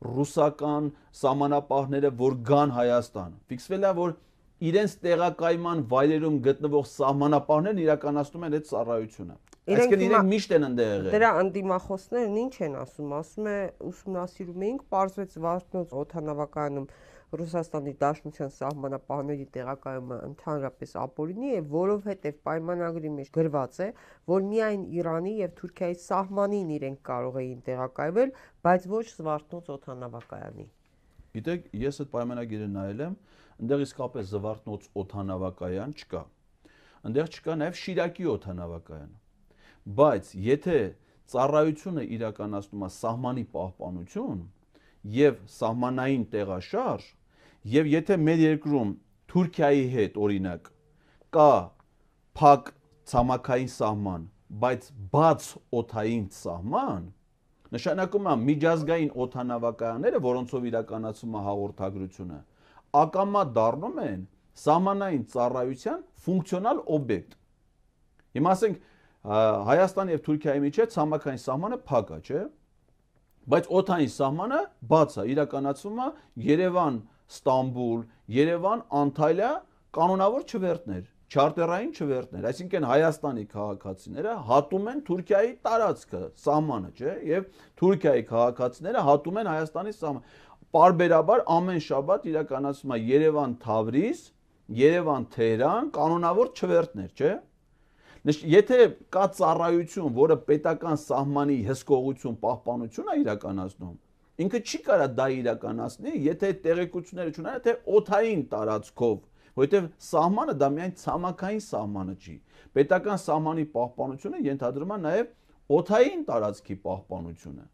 ռուսական սահմանապահները, որ գան Հայաստան։ Ֆիքսվել է, որ իրենց տեղակայման վայրերում գտնվող սահմանապահներն իրականացնում են այդ ծառայությունը։ Այսինքն իրենք միշտ են ընդեղ եղել։ Դրա անդիմախոսներն ինչ են ասում, ասում է ուսումնասիրում էինք, պարզվեց Վարդնոց օդանավակայանում Ռուսաստանի Դաշնության սահմանապահների տեղակայումը ընդհանրապես ապօրինի է, որովհետև պայմանագրի մեջ գրված է, որ միայն Իրանի եւ Թուրքիայի սահմանին իրենք կարող էին տեղակայվել, բայց ոչ Զվարթնոց օդանավակայանի։ Գիտեք, ես այդ պայմանագիրը նայել եմ, այնտեղ իսկապես Զվարթնոց օդանավակայան չկա։ Այնտեղ չկա նաեւ Շիրակի օդանավակայան։ Բայց եթե ծառայությունը իրականացնում է սահմանի պահպանություն եւ սահմանային տեղաշարժ, եւ եթե մեր երկրում Թուրքիայի հետ օրինակ կա փակ ցամաքային սահման, բայց բաց օդային սահման, նշանակում է միջազգային օդանավակայանները, որոնցով իրականացվում է հաղորդագրությունը, ակամա դառնում են սահմանային ծառայության ֆունկցիոնալ օբյեկտ։ Հիմա ասենք Հայաստանի եւ Թուրքիայի միջեւ ցամաքային սահմանը փակ է, չէ՞։ Բայց օդային սահմանը բաց է, իրականացվում է Երևան, Ստամբուլ, Երևան, Անտալիա կանոնավոր չվերթներ, չարտերային չվերթներ, այսինքն Հայաստանի քաղաքացիները հատում են Թուրքիայի տարածքը, սահմանը, չէ՞, եւ Թուրքիայի քաղաքացիները հատում են Հայաստանի սահմանը։ Պարբերաբար ամեն շաբաթ իրականացվում է Երևան-Թավրիզ, Երևան-Թեհրան կանոնավոր չվերթներ, չէ՞։ Եթե կա ծառայություն, որը պետական սահմանի հսկողություն, պահպանություն է իրականացնում, ինքը չի կարա դա իրականացնի, եթե այդ տեղեկությունները չունենա, թե օդային տարածքով, որովհետև սահմանը դա միայն ցամաքային սահմանը չի։ Պետական սահմանի պահպանությունը ենթադրում է նաև օդային տարածքի պահպանությունը։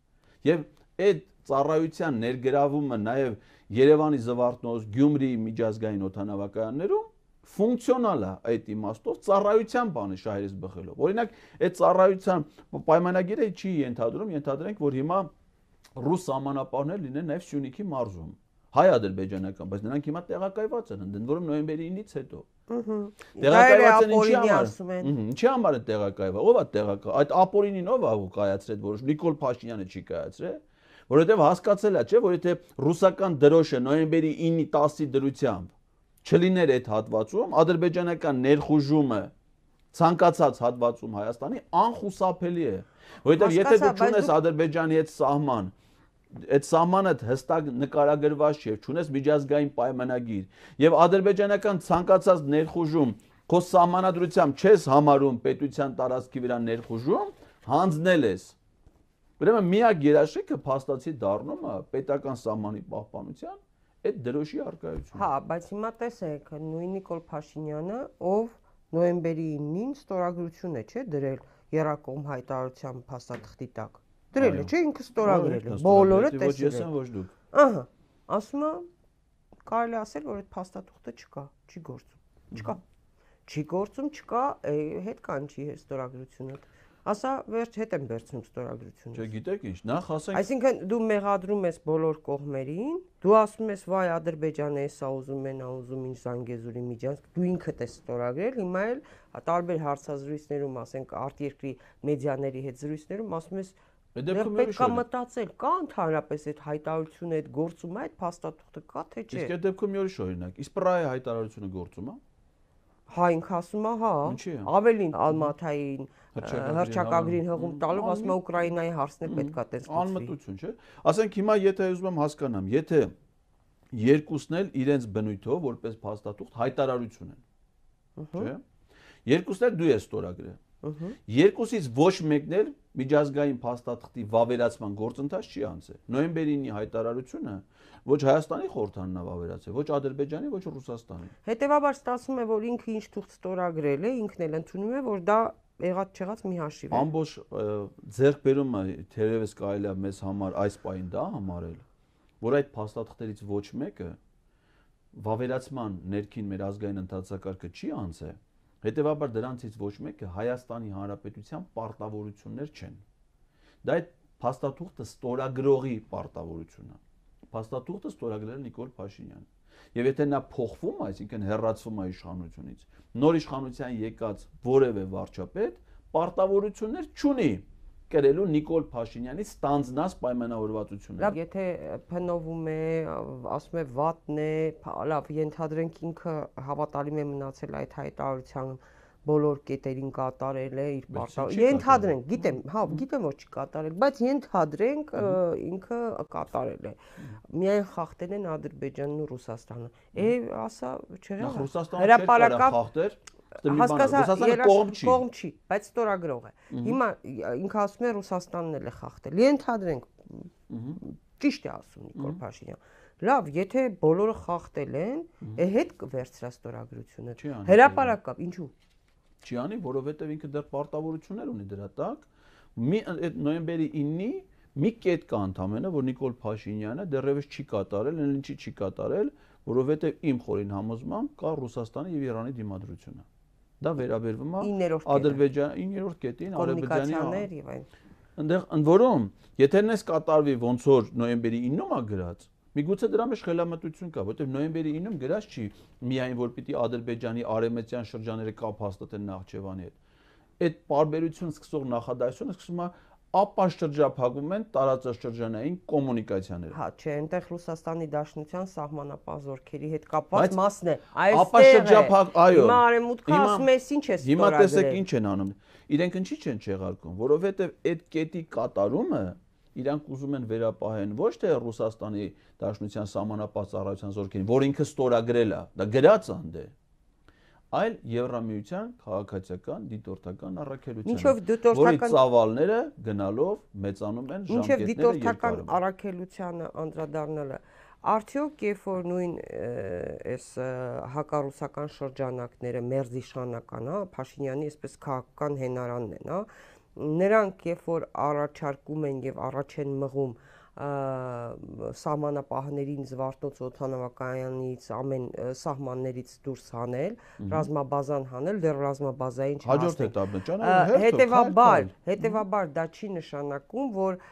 Եվ այդ ծառայության ներգրավումը նաև Երևանի Զվարթնոց, Գյումրիի միջազգային օդանավակայաններում ֆունկցիոնալ է այդ իմաստով ծառայության բանը շահերից բխելով։ Օրինակ, այդ ծառայության պայմանագիրը չի ենթադրում, ենթադրենք, որ հիմա ռուս սահմանապահներ լինեն նաև Սյունիքի մարզում, հայ-ադրբեջանական, բայց նրանք հիմա տեղակայված են, ընդ որում նոյեմբերի 9-ից հետո։ Տեղակայված են ինչի համար։ Ինչի համար է տեղակայված։ Ո՞վ է տեղակայված։ Այդ ապօրինին ով է կայացրել, որ Նիկոլ Փաշինյանը չի կայացրել, որովհետև հասկացել է, չէ, որ եթե ռուսական դրոշը նոյեմբերի 9-ի 10-ի դրությամբ չլիներ այդ հատվածում, ադրբեջանական ներխուժումը ցանկացած հատվածում Հայաստանի անխուսափելի է, որովհետև եթե դու չունես Ադրբեջանի հետ սահման, այդ սահմանը հստակ նկարագրված չէ, չունես միջազգային պայմանագիր, եւ ադրբեջանական ցանկացած ներխուժում քո սահմանադրությամբ չես համարում պետության տարածքի վրա ներխուժում, հանձնել ես Ուրեմն միակ երաշխիքը փաստացի դառնում է պետական սահմանի պահպանության այդ դրոշի արկայությունը։ Հա, բայց հիմա տեսեք, նույն Նիկոլ Փաշինյանը, ով նոյեմբերի 9-ին ստորագրություն է, չէ, դրել Եռակողմ հայտարարության փաստաթղթի տակ։ Դրել է, չէ, ինքը ստորագրել է, բոլորը տեսել են։ Ոչ դուք։ Ահա, ասում է կարելի ասել, որ այդ փաստաթուղթը չկա, չի գործում։ Չկա։ Չի գործում, չկա, հետ կանչի ստորագրությունը։ Ասա վերջ հետ եմ վերցնում ստորագրությունը։ Չէ, գիտեք ինչ, նախ ասենք։ Այսինքն դու մեղադրում ես բոլոր կողմերին, դու ասում ես վայ Ադրբեջանը էսա ուզում են, ուզում ինչ Զանգեզուրի Միջանցք, դու ինքդ ես ստորագրել, հիմա էլ տարբեր հարցազրույցներում, ասենք արտերկրի մեդիաների հետ զրույցներում ասում ես պետք է մտածել, կա ընդհանրապես այդ հայտարարությունը, այդ գործումը, այդ փաստաթուղթը կա թե չէ։ Իսկ այդ դեպքում մի ուրիշ օրինակ, իսպրայ հայտարարությունը գործում է։ Հա, ինքը ասում է, հա, ավելին Ալմաթային հռչակագրին հղում տալով ասում է Ուկրաինայի հարցն է պետքա տես լուծվի։ Անմտություն, չէ։ Ասենք հիմա եթե ուզում եմ հասկանամ, եթե երկուսն էլ իրենց բնույթով որպես փաստաթուղթ հայտարարություն են, չէ։ Երկուսն էլ դու ես ստորագրել։ Երկուսից ոչ մեկն էլ միջազգային փաստաթղթի վավերացման գործընթաց չի անցել։ Նոյեմբերի 9-ի հայտարարությունը ոչ Հայաստանի խորհրդանն է վավերացել, ոչ Ադրբեջանի, ոչ Ռուսաստանի։ Հետևաբար ստացվում է, որ ինքը ինչ թուղթ ստորագրել է, ինքն էլ ընդունում է, որ դա եղած-չեղած մի հաշիվ է։ Ամբողջ ձեռքբերումը թերևս կարելի է մեզ համար այս պահին դա համարել, որ այդ փաստաթղթերից ոչ մեկը վավերացման ներքին մեր ազգային ընթացակարգը չի անցել։ Հետևաբար դրանցից ոչ մեկը Հայաստանի Հանրապետության պարտավորություններ չեն։ Դա այդ փաստաթուղթը ստորագրողի պարտավորությունն է։ Փաստաթուղթը ստորագրել է Նիկոլ Փաշինյանը։ Եվ եթե նա փոխվում, այսինքն հեռացվում է իշխանությունից, նոր իշխանության եկած որևէ վարչապետ պարտավորություններ չունի կրելու Նիկոլ Փաշինյանի ստանձնած պայմանավորվածությունները։ Լավ, եթե փնովում է, ասում է վատն է, լավ, ենթադրենք ինքը հավատալի է մնացել այդ հայտարարության բոլոր կետերին կատարել է իր պարտավորությունը։ Ենթադրենք, գիտեմ, հա, գիտեմ որ չի կատարել, բայց ենթադրենք ինքը կատարել է։ Միայն խախտել են Ադրբեջանն ու Ռուսաստանը։ Ասա, չեղա։ Հրապարակավ խախտեր Հասկացա, կողմ չի, բայց ստորագրող է։ Հիմա ինքը ասում է Ռուսաստանն էլ է խախտել։ Ենթադրենք, ճիշտ է ասում Նիկոլ Փաշինյան։ Լավ, եթե բոլորը խախտել են, հետ կվերցրա ստորագրությունը։ Հրապարակավ, ինչու։ Չի անի, որովհետև ինքը դեռ պարտավորություններ ունի դրա տակ։ Այդ նոյեմբերի 9-ի մի կետ կա ընդամենը, որ Նիկոլ Փաշինյանը դեռևս չի կատարել, ինչի չի կատարել, որովհետև իմ խորին համոզմամբ կա Ռուսաստանի եւ Իրանի դիմադրությունը։ Դա վերաբերվում է Ադրբեջանի 9-րդ կետին, Ադրբեջանի եւ այն։ Այնտեղ ընդ որում, եթե նես կատարվի ոնց որ նոյեմբերի 9-ում է գրած, միգուցե դրա մեջ խելամտություն կա, որովհետև նոյեմբերի 9-ում գրած չի միայն որ պիտի Ադրբեջանի արևմտյան շրջանները կապ հաստատեն Նախճեվանի հետ։ Այդ պարբերություն սկսող նախադասությունը սկսում է ապա շրջափակում են տարածաշրջանային կոմունիկացիաները։ Հա, չէ, այնտեղ Ռուսաստանի Դաշնության սահմանապահ զորքերի հետ կապված մասն է։ Ապա շրջափակ, այո։ Հիմա արևմուտքը ասում է, ինչ է ստորագրել։ Հիմա տեսեք ինչ են անում։ Իրենք ինչի չեն չեղարկում, որովհետև այդ կետի կատարումը իրանք ուզում են վերապահեն ոչ թե Ռուսաստանի Դաշնության սահմանապահ ծառայության զորքերին, որ ինքը ստորագրել է, դա գրած է, այլ Եվրամիության քաղաքացիական դիտորդական առաքելությանը, որի ծավալները գնալով մեծանում են ժամկետները երկարում։ Մինչև դիտորդական առաքելությանը անդրադառնալը, արդյոք երբ որ նույն այս հակառուսական շրջանակները մերձիշխանական, հա, Փաշինյանի այսպես քաղաքական հենարանն են, հա, նրանք երբ որ առաջարկում են եւ առաջ են մղում սահմանապահներին Զվարթնոց օդանավակայանից ամեն սահմաններից դուրս հանել, ռազմաբազան հանել, դեռ ռազմաբազային չհասնել։ Հետևաբար դա չի նշանակում, որ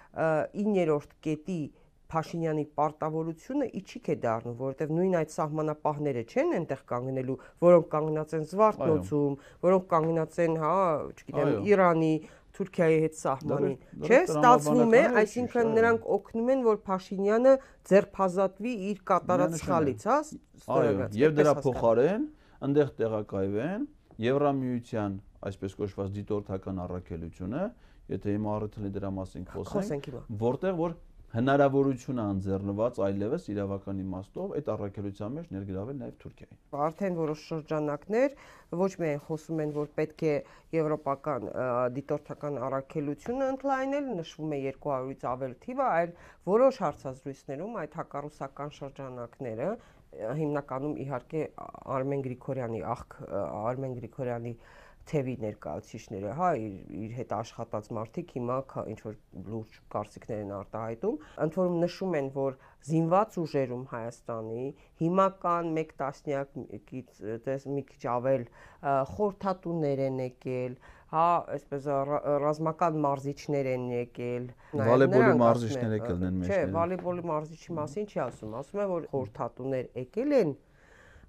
9-րդ կետի Փաշինյանի պարտավորությունը իջիկ է դառնում, որովհետև նույն այդ սահմանապահները չեն այնտեղ կանգնելու, որոնք կանգնած են Զվարթնոցում, որոնք կանգնած են, հա, չգիտեմ, Իրանի, Թուրքիայի հետ սահմանին, չէ, ստացվում է, այսինքն նրանք օգնում են, որ Փաշինյանը ձերբազատվի իր կատարած սխալից, հա, ստորագրած։ Եվ դրա փոխարեն այնտեղ տեղակայվեն Եվրամիության, այսպես կոչված դիտորդական առաքելությունը, եթե հիմա առիթ լինի դրա մասին խոսենք, որտեղ որ հնարավորություն անձեռնված այլևս իրավական իմաստով այդ առաքելության մեջ ներգրավել նաև Թուրքիային։ Արդեն որոշ շրջանակներ ոչ միայն խոսում են, որ պետք է եվրոպական դիտորդական առաքելությունը ընդլայնել, նշվում է 200-ից ավել թիվը, այլ որոշ հարցազրույցներում այդ հակառուսական շրջանակները, հիմնականում իհարկե Արմեն Գրիգորյանի թևի ներկայացուցիչները, հա, իր հետ աշխատած մարդիկ հիմա ինչ որ լուրջ կարծիքներ են արտահայտում, ընդ որում նշում են, որ զինված ուժերում Հայաստանի հիմական 1 տասնյակից մի քիչ ավել խորհրդատուներ են եկել, հա, այսպես ռազմական մարզիչներ են եկել, վոլեյբոլի մարզիչներ եկել են մեջները։ Չէ, վոլեյբոլի մարզիչի մասին չի ասում է, որ խորհրդատուներ եկել են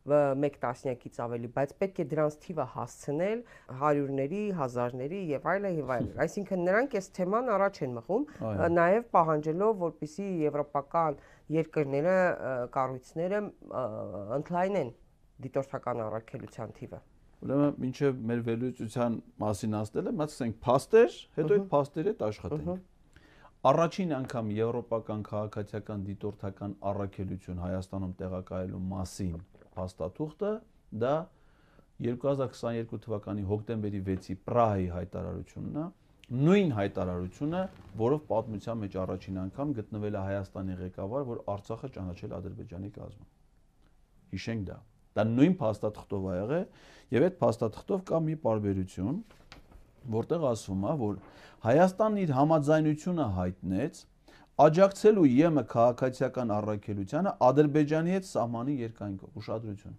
1 տասնյակից ավելի, բայց պետք է դրանց թիվը հասցնել հարյուրների, հազարների եւ այլն եւ այլն։ Այսինքն նրանք այս թեման առաջ են մղում, նաեւ պահանջելով, որպեսզի եվրոպական երկրները, կառույցները ընդլայնեն դիտորդական առաքելության թիվը։ Ուրեմն մինչեւ մեր վերլուծության մասին ասելը, մտածենք փաստեր, հետո այդ փաստերի հետ աշխատենք։ Առաջին անգամ եվրոպական քաղաքացիական դիտորդական առաքելություն Հայաստանում տեղակայելու մասին փաստաթուղթը դա 2022 թվականի հոկտեմբերի 6-ի Պրահայի հայտարարությունն է, նույն հայտարարությունը, որով պատմության մեջ առաջին անգամ գտնվել է Հայաստանի ղեկավար, որ Արցախը ճանաչել Ադրբեջանի կազմում։ Հիշենք դա։ Դա նույն փաստաթղթով ա եղել, եւ այդ փաստաթղթով կա մի պարբերություն, որտեղ ասվում է, որ Հայաստանն իր համաձայնությունը հայտնեց աջակցելու ԵՄ քաղաքացիական առաքելությանը Ադրբեջանի հետ սահմանի երկայնքով, ուշադրություն։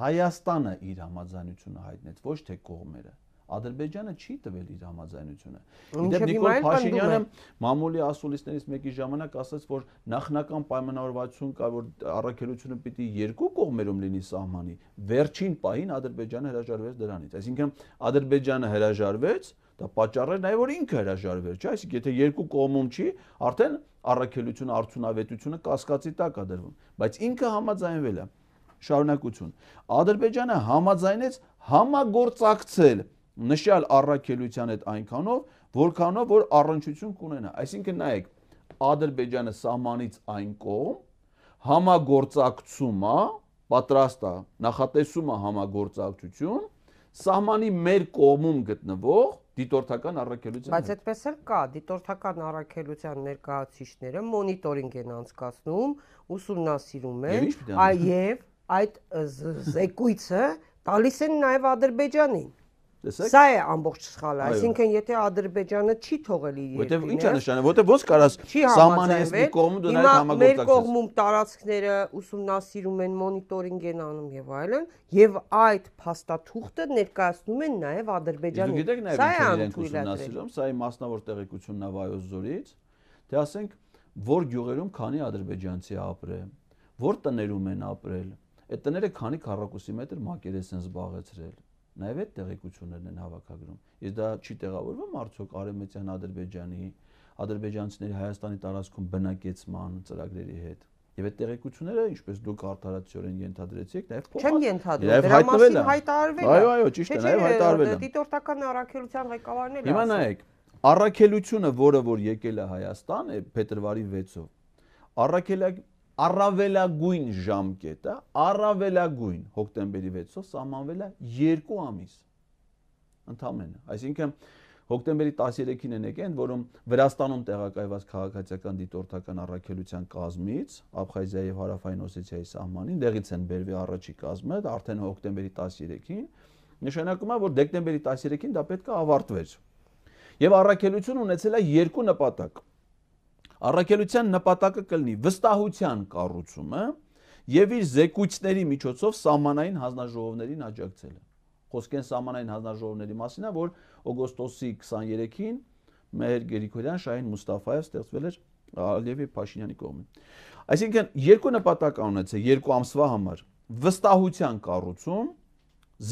Հայաստանը իր համաձայնությունը հայտնեց, ոչ թե կողմերը։ Ադրբեջանը չի տվել իր համաձայնությունը։ Իդեպ Նիկոլ Փաշինյանը մամուլի ասուլիսներից մեկի ժամանակ ասաց, որ նախնական պայմանավորվածություն կա, որ առաքելությունը պիտի երկու կողմերում լինի սահմանի։ Վերջին պահին Ադրբեջանը հրաժարվեց դրանից։ Այսինքն Ադրբեջանը հրաժարվեց, դա պատճառը նաև որ ինքը հրաժարվեր, չէ՞, այսինքն եթե երկու կողմում չի, արդեն առաքելությունը, արդյունավետությունը կասկածի տակ է դրվում, բայց ինքը համաձայնվել է։ Շարունակություն։ Ադրբեջանը համաձայնեց համագործակցել նշյալ առաքելության հետ այնքանով, որքանով որ առնչություն կունենա։ Այսինքն նայեք, Ադրբեջանը սահմանից այն կողմ համագործակցում է, պատրաստ է, նախատեսում է համագործակցություն, սահմանի մեր կողմում գտնվող դիտորդական առաքելության։ Բայց այդպես էլ կա, դիտորդական առաքելության ներկայացուցիչները մոնիտորինգ են անցկացնում, ուսումնասիրում են, եւ այդ զեկույցը տալիս են նաեւ Ադրբեջանին։ Սա է ամբողջ սխալը, այսինքն եթե Ադրբեջանը չի թողել իր երկրին, որտեվ ինչ է նշանակում, որտեվ ոնց կարաս սահմանի այս մի կողմում դու նաև համագործակցես։ Մեր կողմում տարածքները ուսումնասիրում են, մոնիտորինգ են անում եւ այլն, եւ այդ փաստաթուղթը ներկայացնում են նաև Ադրբեջանին։ Սա է ուսումնասիրում, սա է մասնավոր տեղեկությունն է Վայոց ձորից, թե ասենք որ գյուղերում քանի ադրբեջանցի ապրել, որ տներում են ապրել, այդ տները քանի քառակուսի մետր մակերես են զբաղեցրել։ Նաև այդ տեղեկություններն են հավաքագրում։ Իսկ դա չի տեղավորվում արդյոք Արևմտյան Ադրբեջանի, ադրբեջանցիների Հայաստանի տարածքում բնակեցման ծրագրերի հետ։ Եվ այդ տեղեկությունները, ինչպես դուք արդարացիորեն ենթադրեցիք, նաև չեմ ենթադրում, դրա մասին հայտարարվել է։ Այո, ճիշտ է, նաև հայտարարվել է։ Դիտորդական առաքելության ղեկավարն էլ։ Հիմա նայեք, առաքելությունը, որը որ եկել է Հայաստան, փետրվարի 6-ով, առավելագույն ժամկետը, առավելագույն հոկտեմբերի 6-ով սահմանվել է 2 ամիս ընդամենը։ Այսինքն հոկտեմբերի 13-ին են եկել, որում Վրաստանում տեղակայված քաղաքացիական դիտորդական առաքելության կազմից Աբխազիայի եւ Հարավային Օսեթիայի սահմանին դեղից են բերվի առաջի կազմը, արդեն հոկտեմբերի 13-ին, նշանակում է, որ դեկտեմբերի 13-ին դա պետք է ավարտվեր։ Եվ առաքելությունը ունեցել է 2 նպատակ։ Առաքելության նպատակը կլինի վստահության կառուցումը եւ իր զեկույցների միջոցով սահմանային հանձնաժողովներին աջակցելը։ Խոսքեն սահմանային հանձնաժողովների մասին է, որ օգոստոսի 23-ին Մեհեր Գրիգորյան, Շահին Մուստաֆաև ստեղծվել էր Ալիևի Փաշինյանի կողմից։ Այսինքն 2 նպատակ ունեցել 2 ամսվա համար՝ վստահության կառուցում,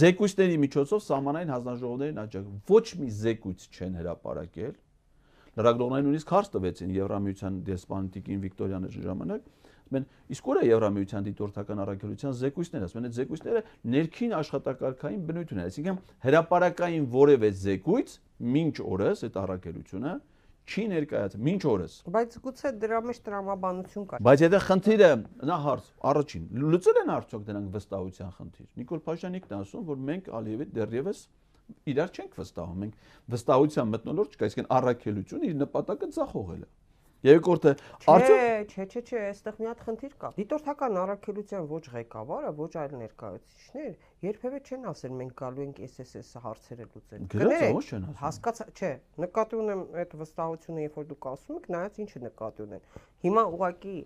զեկույցների միջոցով սահմանային հանձնաժողովներին աջակցել։ Ոչ մի զեկույց չեն հրապարակել։ Լրագրողներին նույնիսկ հարց տվեցին Եվրամիության դեսպանատիկին Վիկտորիան ժամանակ, ասում իսկ ուր է Եվրամիության դիտորդական առաքելության զեկույցները, ասում են այդ զեկույցները ներքին աշխատակարգային բնույթ ունեն, այսինքն հրապարակային որևէ զեկույց մինչ օրս այդ առաքելությունը չի ներկայացել մինչ օրս։ Բայց գուցե դրա մեջ տրամաբանություն կա։ Բայց եթե խնդիրը նա հարց առաջին լուծել են արդյոք դրանք վստահության խնդիր։ Նիկոլ Փաշինյանն է ասում, որ մենք Ալիևի դեռևս իրար չենք վստահում։ Մենք վստահության մթնոլորտ չկա, այսինքն առաքելությունը իր նպատակը ձախողել է։ Երկրորդը արդյոք Չէ, այստեղ մի հատ խնդիր կա։ Դիտորդական առաքելության ոչ ղեկավարը, ոչ այլ ներկայացուցիչներ երբևէ չեն ասել մենք գալու ենք SSS հարցերը լուծել։ Գրած չեն ասում։ Հասկացա, չէ, նկատի ունեմ այդ վստահությունը, երբ որ դուք ասում եք, նայած ինչը նկատի ունեն։ Հիմա ուղղակի,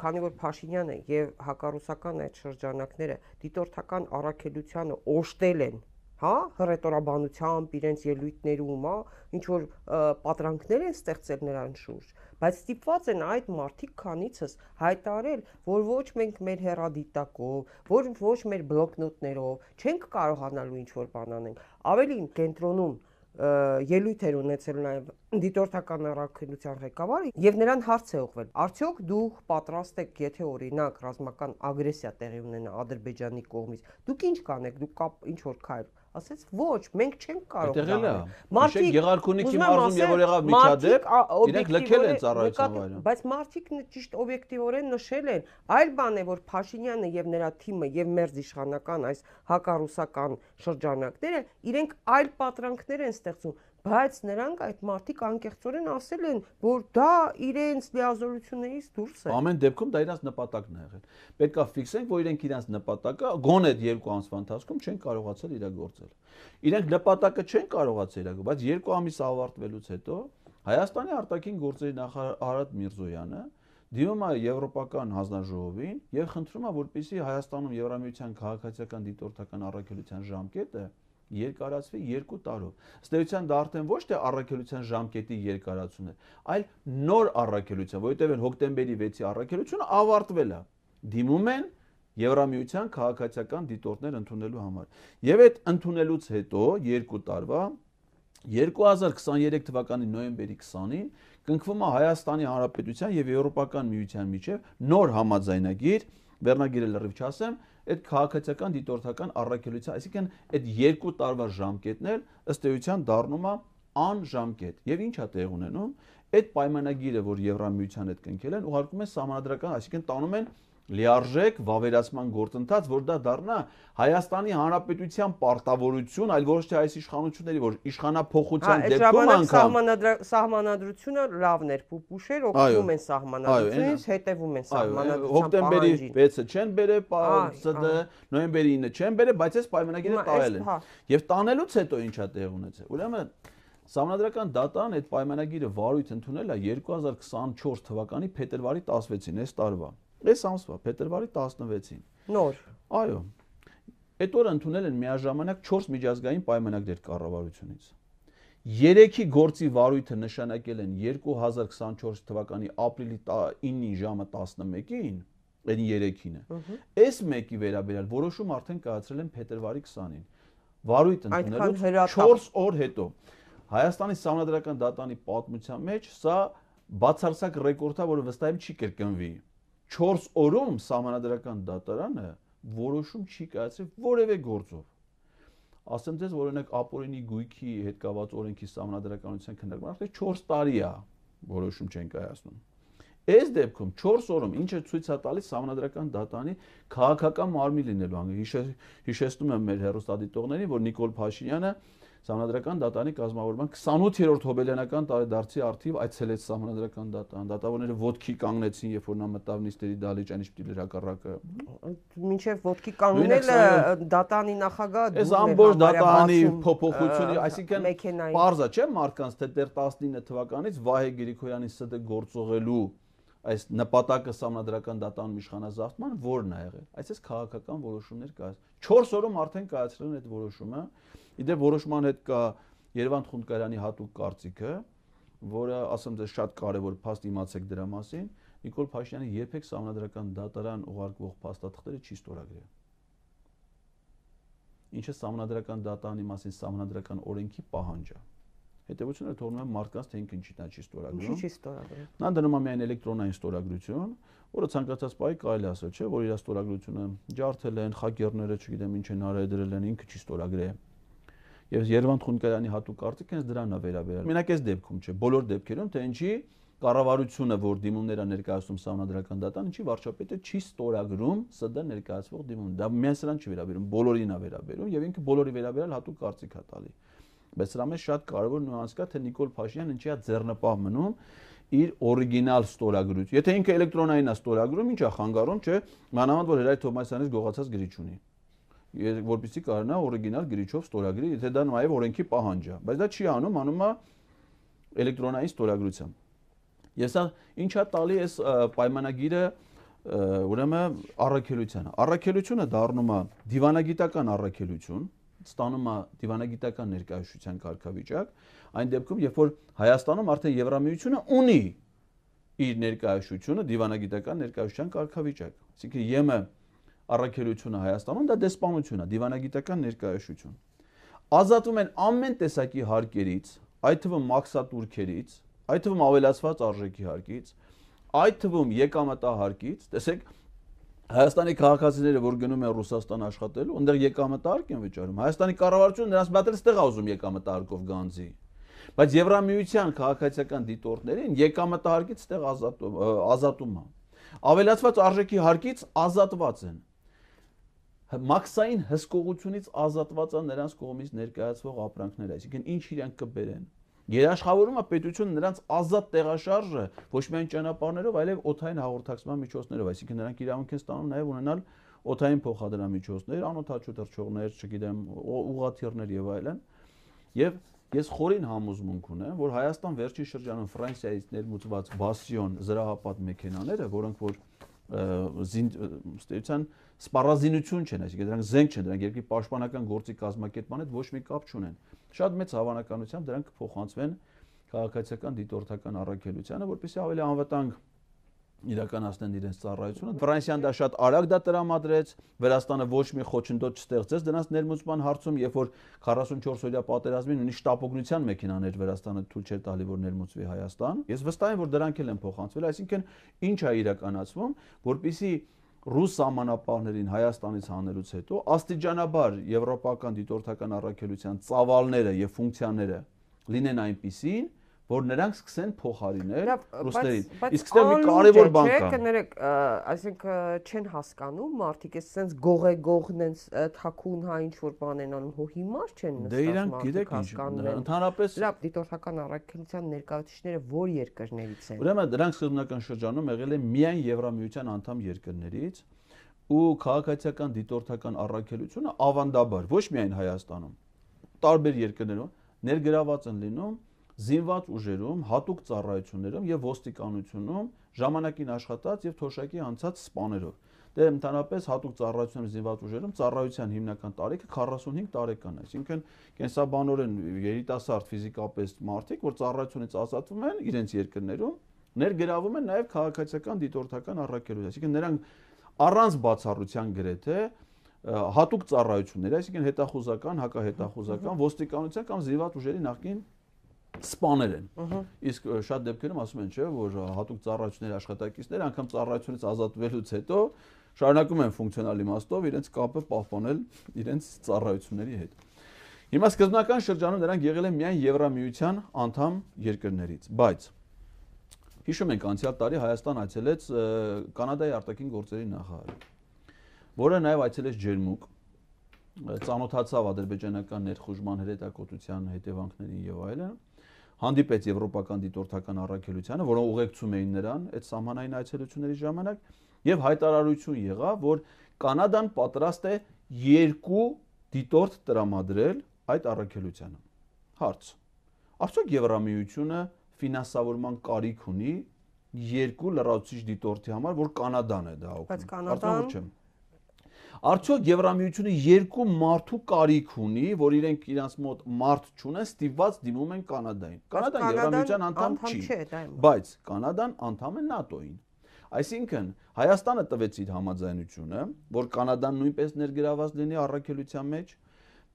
քանի որ Փաշինյանը եւ հակառուսական այդ շրջանակները դիտորդական առաքելությանը օժտել են, հա, հռետորաբանությամբ, իրենց ելույթներում, ինչ որ պատրանքներ են ստեղծել նրան շուրջ, բայց ստիպված են այդ մարդիկ քանիցս հայտարարել, որ ոչ մենք մեր հեռադիտակով, ոչ մեր բլոկնոտներով չենք կարողանալու ինչ-որ բան անենք։ Ավելին կենտրոնում ելույթ էր ունեցել նաև դիտորդական առաքելության ղեկավարը եւ նրան հարց է ուղղվել. Արդյոք դուք պատրաստ եք, եթե օրինակ ռազմական ագրեսիա տեղի ունենա Ադրբեջանի կողմից, դուք ինչ կանեք, դուք ինչ որ քայլ ասեց ոչ, մենք չենք կարող դա։ Մարդիկ Գեղարքունիքի մարզում եւ որ եղավ միջադեպ, իրենք լքել են ծառայության վայրը։ Բայց մարդիկ ճիշտ օբյեկտիվորեն նշել են, այլ բան է, որ Փաշինյանը եւ նրա թիմը եւ մերձ իշխանական այս հակառուսական շրջանակները իրենք այլ պատրանքներ են ստեղծում, բայց նրանք այդ մարդիկ անկեղծորեն ասել են, որ դա իրենց լիազորություններից դուրս է։ Ամեն դեպքում դա իրենց նպատակն է եղել։ Պետք է ֆիքսենք, որ իրենք իրենց նպատակը գոնե 2 ամսվա ընթացքում չեն կարողացել իրագործել։ Իրենք նպատակը չեն կարողացել իրագործել, բայց 2 ամիս ավարտվելուց հետո Հայաստանի արտաքին գործերի նախարար Արադ Միրզոյանը դիմում է Եվրոպական հանձնաժողովին եւ խնդրում է, որպեսզի Հայաստանում Եվրամիության քաղաքացիական դիտորդական առաքելության ժամկետը երկարացվի 2 տարով։ Ըստ էության դա արդեն ոչ թե առաքելության ժամկետի երկարացումն է, այլ նոր առաքելության, որովհետև հոկտեմբերի 6-ի առաքելությունը ավարտվել է։ Դիմում են Եվրամիության քաղաքացիական դիտորդներ ընդունելու համար։ Եվ այդ ընդունելուց հետո 2 տարվա 2023 թվականի նոյեմբերի 20-ին կնքվում է Հայաստանի Հանրապետության եւ Եվրոպական միության միջև նոր համաձայնագիր, վերնագիրը լրիվ չասեմ, այդ քաղաքացիական դիտորդական առաքելության, այսինքն այդ 2 տարվա ժամկետն էլ ըստ էության դառնում է անժամկետ։ Եվ ինչ է տեղ ունենում, այդ պայմանագիրը, որ Եվրամիության հետ կնքել են, ուղարկում են սահմանադրական, այսինքն տանում են լիարժեք վավերացման գործընթաց, որ դա դառնա Հայաստանի Հանրապետության պարտավորություն, այլ ոչ թե այս իշխանությունների, որ իշխանափոխության դեպքում անգամ սահմանադրությունը լավն էր, փուփուշեր օգնում են սահմանադրությունից, հետևում են սահմանադրության հոկտեմբերի 6-ը չեն բերել, ՍԴ նոյեմբերի 9-ը չեն բերել, բայց այս պայմանագիրը տվել են։ Եվ տանելուց հետո ինչ է տեղ ունեցել։ Ուրեմն Սահմանադրական դատան այդ պայմանագիրը վարույթ ընդունել է 2024 թվականի փետրվարի 16-ին, այս տարվա։ Այս ամսվա փետրվարի 16-ին։ Նոր։ Այո։ Այդ օրը ընդունել են միաժամանակ 4 միջազգային պայմանագրեր կառավարությունից։ 3-ի գործի վարույթը նշանակել են 2024 թվականի ապրիլի 9-ի ժամը 11-ին, այն 3-ինը։ Այս մեկի վերաբերյալ որոշում արդեն կայացրել են փետրվարի 20-ին։ Վարույթ ընդունելուց 4 օր հետո Հայաստանի Սահմանադրական դատանի պատմության մեջ սա բացարձակ ռեկորդ է, որը վստահ եմ չի կրկնվի։ 4 օրում Սահմանադրական դատարանը որոշում չի կայացրել որևէ գործով։ Ասեմ ձեզ, որ օրինակ ապօրինի գույքի հետ կապված օրենքի Սահմանադրականության քննարկման արդեն 4 տարի է որոշում չեն կայացնում։ Այս դեպքում 4 օրում ինչը ցույց է տալիս Սահմանադրական դատանի քաղաքական մարմին լինելու անգամ։ Հիշեցնում եմ մեր հեռուստադիտողներին, որ Նիկոլ Փաշինյանը Սահմանադրական դատանի կազմավորման 28-րդ հոբելյանական տարեդարձի արդիվ այցելեց Սահմանադրական դատան։ Դատավորները ոտքի կանգնեցին, երբ որ նա մտավ նիստերի դահլիճ, ինչ պիտի լրակառակը։ Մինչև ոտքի կանգնելը դատանի նախագահը այս ամբողջ դատանի փոփոխությունը, այսինքն պարզ է, չէ՞, մարդկանց թե դեռ 19 թվականից Վահե Գրիգորյանի ՍԴ գործողելու այս նպատակը Սահմանադրական դատանում իշխանազավթման որն է եղել։ Այսպես քաղաքական որոշումներ կա։ 4 օրում արդեն կայացրել են այդ որոշումը։ Իդեպ որոշման հետ կա Երևան Խունկարյանի հատուկ կարծիքը, որը ասեմ ձեզ շատ կարևոր փաստ իմացեք դրա մասին, Նիկոլ Փաշինյանը երբեք Սահմանադրական դատարան ուղարկվող փաստաթղթերը չի ստորագրել։ Ինչը Սահմանադրական դատարանի մասին Սահմանադրական օրենքի պահանջ է։ Հետևությունը թողնում է մարդկանց թե ինքն ինչի նա չի ստորագրում։ Ինչի չի ստորագրում։ Նա դնում է միայն էլեկտրոնային ստորագրություն, որը ցանկացած պահի կարելի ասել, չէ, որ իր ստորագրությունը ջարդել են, խակերները, չգիտեմ ինչ են արել դրել են, ինքը չի ստորագրել։ Եվ Երևան Խունկարյանի հատուկ կարծիքը հենց դրան է վերաբերել։ Մենակ այս դեպքում չէ, բոլոր դեպքերում, թե ինչի կառավարությունը, որ դիմումներ է ներկայացնում Սահմանադրական դատան, ինչի վարչապետը չի ստորագրում ՍԴ ներկայացվող դիմում։ Դա միայն սրան չի վերաբերում, բոլորին է վերաբերում եւ ինքը բոլորի վերաբերյալ հատուկ կարծիք է տալի։ Բայց սրա մեջ շատ կարևոր նյուանս կա, թե Նիկոլ Փաշինյանն ինչի է ձեռնպահ մնում իր օրիգինալ ստորագրույթ։ Եթե ինքը էլեկտրոնային է ստորագրում, ի՞նչ է խանգարում, չէ՞, մանավանդ որ Հրայր Թովմասյանից գողացած գրիչ ունի։ Որպեսզի կարողանա օրիգինալ գրիչով ստորագրի, եթե դա նաև օրենքի պահանջ է, բայց դա չի անում, անում է էլեկտրոնային ստորագրությամբ։ Ես սա ինչա տալի այս պայմանագիրը ուրեմն առաքելությանը։ Առաքելությունը դառնում է դիվանագիտական առաքելություն, ստանում է դիվանագիտական ներկայացության կարգավիճակ, այն դեպքում, երբ որ Հայաստանում արդեն Եվրամիությունը ունի իր ներկայացությունը դիվանագիտական ներկայացության կարգավիճակ։ Այսինքն ԵՄ առաքելությունը Հայաստանում դա դեսպանություն է, դիվանագիտական ներկայացություն։ Ազատվում են ամեն տեսակի հարկերից, այդ թվում մաքսատուրքերից, այդ թվում ավելացված արժեքի հարկից, այդ թվում եկամտահարկից, տեսեք Հայաստանի քաղաքացիները, որ գնում են Ռուսաստան աշխատելու, այնտեղ եկամտահարկ են վճարում։ Հայաստանի կառավարությունը նրանց մատել ստեղ ուզում եկամտահարկով գանձի։ Բայց Եվրամիության քաղաքացիական դիտորդներին եկամտահարկից ստեղ ազատում է։ Ավելացված արժեքի հարկից ազատված են։ Մաքսային հսկողությունից ազատված են նրանց կողմից ներկայացվող ապրանքները, այսինքն ինչ իրենք կբերեն։ Երաշխավորում է պետությունը նրանց ազատ տեղաշարժը ոչ միայն ճանապարհներով, այլև օդային հաղորդակցման միջոցներով, այսինքն նրանք իրավունք են ստանում նաև ունենալ օդային փոխադրամիջոցներ, անօդաչու թռչողներ, չգիտեմ, ուղղաթիռներ եւ այլն։ Եւ ես խորին համոզմունք ունեմ, որ Հայաստան վերջի շրջանում Ֆրանսիայից ներմուծված Բասիոն զրահապատ մեքենաները, որոնք որ ստեյցիան սպառազինություն չեն, այսինքն դրանք զենք չեն, դրանք երկրի պաշտպանական գործի կազմակերպման հետ ոչ մի կապ չունեն։ Շատ մեծ հավանականությամբ դրանք կփոխանցվեն քաղաքացիական դիտորդական առաքելությանը, որպեսզի ավելի անվտանգ իրականացնեն իրենց ծառայությունը։ Ֆրանսիան դա շատ արագ դա տրամադրեց, Վրաստանը ոչ մի խոչընդոտ չստեղծեց դրանց ներմուծման հարցում, երբ որ 44-օրյա պատերազմին ունի շտապօգնության մեքենաներ Վրաստանը թույլ չէր տալի, որ ներմուծվի Հայաստան։ Ես վստահ եմ, որ դրանք էլ են փոխանցվել, այսինքն ինչ է իրականացվում, որպեսզի ռուս սահմանապահներին Հայաստանից հանելուց հետո աստիճանաբար եվրոպական դիտորդական առաքելության ծավալները եւ ֆունկցիաները լինեն այնպիսին, որ նրանք սկսեն փոխարինել ռուսներին։ Իսկ ստեղ մի կարևոր բան կա։ Կներեք, այսինքն չեն հասկանում մարդիկ, այս sense գողն են թաքուն հա ինչ որ բան են անում, հո հիմար չեն նստած։ Դե իրանք գիտեք ինչ, ընդհանրապես լավ դիտորդական առաքելության ներկայացուցիչները որ երկրներից են։ Ուրեմն դրանք սկզբնական շրջանում եղել են միայն Եվրամիության անդամ երկրներից ու քաղաքացիական դիտորդական առաքելությունը ավանդաբար ոչ միայն Հայաստանում, տարբեր երկրներում ներգրաված են լինում զինված ուժերում, հատուկ ծառայություններում եւ ոստիկանությունում ժամանակին աշխատած եւ թոշակի անցած սպաներով։ Դե ընդհանրապես հատուկ ծառայություններում զինված ուժերում ծառայության հիմնական տարիքը 45 տարեկան է, այսինքն կենսաբանորեն երիտասարդ ֆիզիկապես մարդիկ, որ ծառայությունից ազատվում են իրենց երկրներում, ներգրավում են նաեւ քաղաքացիական դիտորդական առաքելություն, այսինքն նրանք առանց բացառության գրեթե հատուկ ծառայություններ, այսինքն հետախուզական, հակահետախուզական, ոստիկանության կամ զինված ուժերի նախկին սպաներ են։ Իսկ շատ դեպքերում ասում են, չէ, որ հատուկ ծառայությունների աշխատակիցները անգամ ծառայությունից ազատվելուց հետո շարունակում են ֆունկցիոնալ իմաստով իրենց կապը պահպանել իրենց ծառայությունների հետ։ Հիմա սկզբնական շրջանում նրանք եղել են միայն Եվրամիության անդամ երկրներից, բայց հիշում ենք անցյալ տարի Հայաստան այցելեց Կանադայի արտաքին գործերի նախարարը, որը նաև այցելեց Ջերմուկ, ծանոթացավ ադրբեջանական ներխուժման հրետակոծության հետևանքներին եւ այլն, հանդիպեց եվրոպական դիտորդական առաքելությանը, որոնք ուղեկցում էին նրան այդ սահմանային այցելությունների ժամանակ եւ հայտարարություն եղավ, որ Կանադան պատրաստ է 2 դիտորդ տրամադրել այդ առաքելությանը։ Հարց. Արդյոք Եվրամիությունը ֆինանսավորման կարիք ունի 2 լրացուցիչ դիտորդի համար, որ Կանադան է դա օգնում։ Բայց Կանադան Արդյոք Եվրամիությունը 2 մարդու կարիք ունի, որ իրենք իրանց մոտ մարդ չունեն, ստիպված դիմում են Կանադային։ Կանադան Եվրամիության անդամ չի, բայց Կանադան անդամ է ՆԱՏՕ-ին։ Այսինքն Հայաստանը տվեց իր համաձայնությունը, որ Կանադան նույնպես ներգրաված լինի առաքելության մեջ,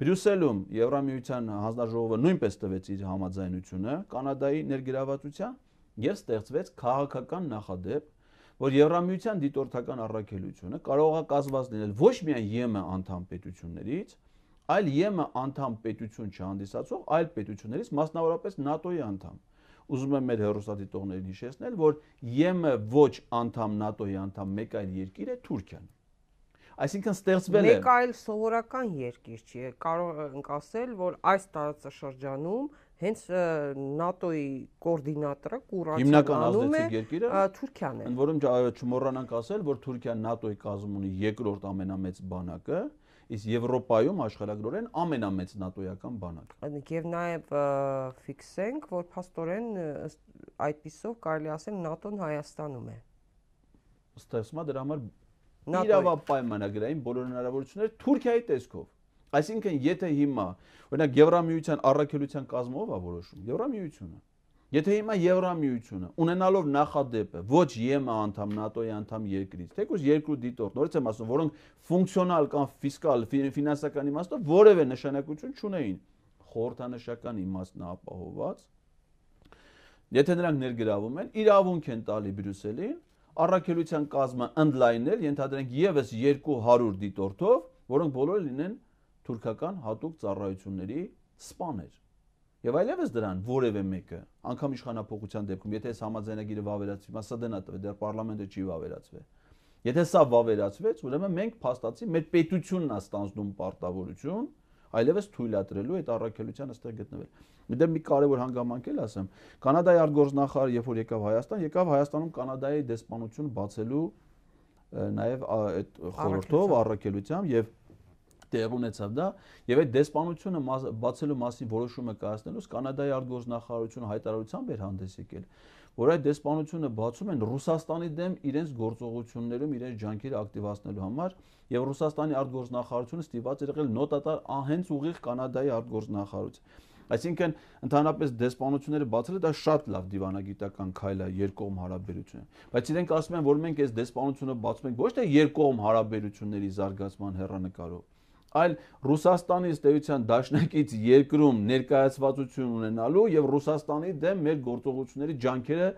Բրյուսելում Եվրամիության հանձնաժողովը նույնպես տվեց իր համաձայնությունը Կանադայի ներգրավվածության եւ ստեղծվեց քաղաքական նախադեպ, որ Եվրամիության դիտորդական առաքելությունը կարող է կազմված լինել ոչ միայն ԵՄ անդամ պետություններից, այլ ԵՄ անդամ պետություն չհանդիսացող այլ պետություններից, մասնավորապես ՆԱՏՕ-ի անդամ։ Ուզում եմ մեր հեռուստադիտողներին հիշեցնել, որ ԵՄ ոչ անդամ ՆԱՏՕ-ի անդամ մեկ այլ երկիր է Թուրքիան։ Այսինքն ստեղծվել է մեկ այլ սովորական երկիր չի, կարող ենք ասել, որ այս տարածաշրջանում հենց ՆԱՏՕ-ի կոորդինատորը հիմնական կուրացանում է ազդեցիկ երկիրը Թուրքիան է։ Ընդ որում չմոռանանք ասել, որ Թուրքիան ՆԱՏՕ-ի կազմում ունի երկրորդ ամենամեծ բանակը, իսկ Եվրոպայում աշխարհագրորեն ամենամեծ ՆԱՏՕ-ական բանակը։ Եվ նաև ֆիքսենք, որ փաստորեն այդպիսով կարելի ասել ՆԱՏՕ-ն Հայաստանում է։ Ստեղծվում է դրա համար իրավապայմանագրային բոլոր հնարավորությունները Թուրքիայի տեսքով։ Այսինքն, եթե հիմա, օրինակ Եվրամիության առաքելության կազմով է որոշում, Եվրամիությունը։ Եթե հիմա Եվրամիությունը ունենալով նախադեպը ոչ ԵՄ անդամ ՆԱՏՕ-ի անդամ երկրից, թեկուզ երկու դիտորդ, նորից եմ ասում, որոնք ֆունկցիոնալ կամ ֆիսկալ, ֆինանսական իմաստով որևէ նշանակություն չունեին, խորհրդանշական իմաստն ապահովված, եթե նրանք ներգրավում են, իրավունք են տալի Բրյուսելին առաքելության կազմը ընդլայնել, ենթադրենք եւս 200 դիտորդով, որոնք բոլորը լինեն թուրքական հատուկ ծառայությունների սպաներ։ Եվ այլևս դրան որևէ մեկը, անգամ իշխանապողության դեպքում, եթե այս համաձայնագիրը վավերացվի, մասը դնա տվե, դեռ պարլամենտը չի վավերացվել։ Եթե սա վավերացվեց, ուրեմն մենք փաստացի մեր պետությունն է ստանձնում պարտավորություն, այլևս թույլատրելու այդ առաքելության այստեղ գտնվել։ Դե մի կարևոր հանգամանք էլ ասեմ, Կանադայի արտգործնախարարը երբ որ եկավ Հայաստան, եկավ Հայաստանում Կանադայի դեսպանություն բացելու նաև այդ խորհրդով առաքելությամբ եւ տեղ ունեցավ դա եւ այդ դեսպանությունը բացելու մասին որոշումը կայացնելուց Կանադայի արտգործնախարարությունը հայտարարությամբ էր հանդես եկել, որ այդ դեսպանությունը բացում են Ռուսաստանի դեմ իրենց գործողություններում իրենց ջանքերը ակտիվացնելու համար եւ Ռուսաստանի արտգործնախարարությունը ստիպված էր եղել նոտատար հենց ուղիղ Կանադայի արտգործնախարարություն։ Այսինքն ընդհանրապես դեսպանությունները բացելը դա շատ լավ դիվանագիտական քայլ է երկկողմ հարաբերություններ, բայց իրենք ասում են, որ մենք այս դեսպանությունը բացում ենք ոչ թե երկկողմ հարաբերությունների զարգացման հեռանկարով, այլ Ռուսաստանի ըստեյության դաշնակից երկրում ներկայացվածություն ունենալու եւ Ռուսաստանի դեմ մեր գործողությունների ջանքերը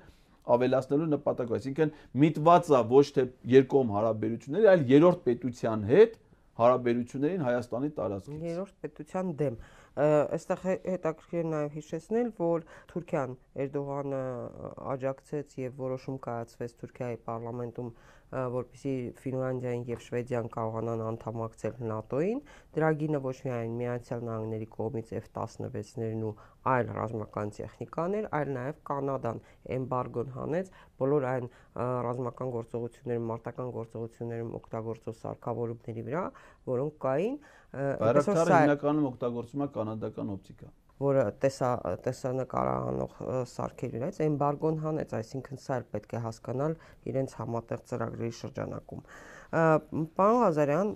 ավելացնելու նպատակով, այսինքն միտված է ոչ թե երկկողմ հարաբերությունների, այլ երրորդ պետության հետ հարաբերություններին Հայաստանի տարածքից։ Երրորդ պետության դեմ։ Այստեղ հետաքրքիր է նաև հիշեցնել, որ Թուրքիան Էրդողանը աջակցեց եւ որոշում կայացվեց Թուրքիայի պարլամենտում, որպեսզի Ֆինլանդիան եւ Շվեդիան կարողանան անդամակցել ՆԱՏՕ-ին։ Դրագինը ոչ միայն Միացյալ Նահանգների կողմից F-16-ներն ու այլ ռազմական տեխնիկաներ, այլ նաև Կանադան էմբարգոն հանեց բոլոր այն ռազմական գործողություններում, մարտական գործողություններում օգտագործող սարքավորումների վրա, որոնք կային, Բայրակտարը հիմնականում օգտագործում է կանադական օպտիկա, որը տեսանկարահանող սարքերի վրա էմբարգոն հանեց, այսինքն սա էլ պետք է հասկանալ իրենց համատեղ ծրագրերի շրջանակում։ Պարոն Ղազարյան,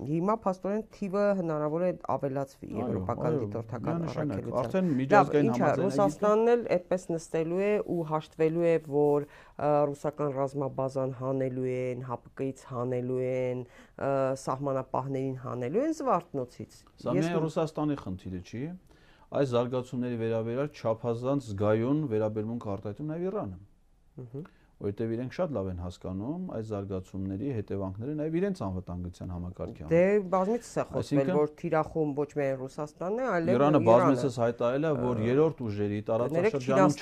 հիմա փաստորեն թիվը հնարավոր է ավելացվի եվրոպական դիտորդական առաքելության։ Արդեն միջազգային համաձայնագիր Ռուսաստանն էլ այդպես նստելու է ու հաշտվելու է, որ ռուսական ռազմաբազան հանելու են, ՀԱՊԿ-ից հանելու են, սահմանապահներին հանելու են Զվարթնոցից։ Սա միայն Ռուսաստանի խնդիրը չի, այս զարգացումների վերաբերյալ չափազանց զգայուն վերաբերմունք արտահայտում նաև Իրանը։ Որտեղ իրենք շատ լավ են հասկանում այս զարգացումների հետևանքները նաև իրենց անվտանգության համակարգի համար։ Դե բազմիցս է խոսվել, որ թիրախում ոչ միայն Ռուսաստանն է, այլև Իրանը բազմիցս հայտարարել է, որ երրորդ ուժերի տարածաշրջանում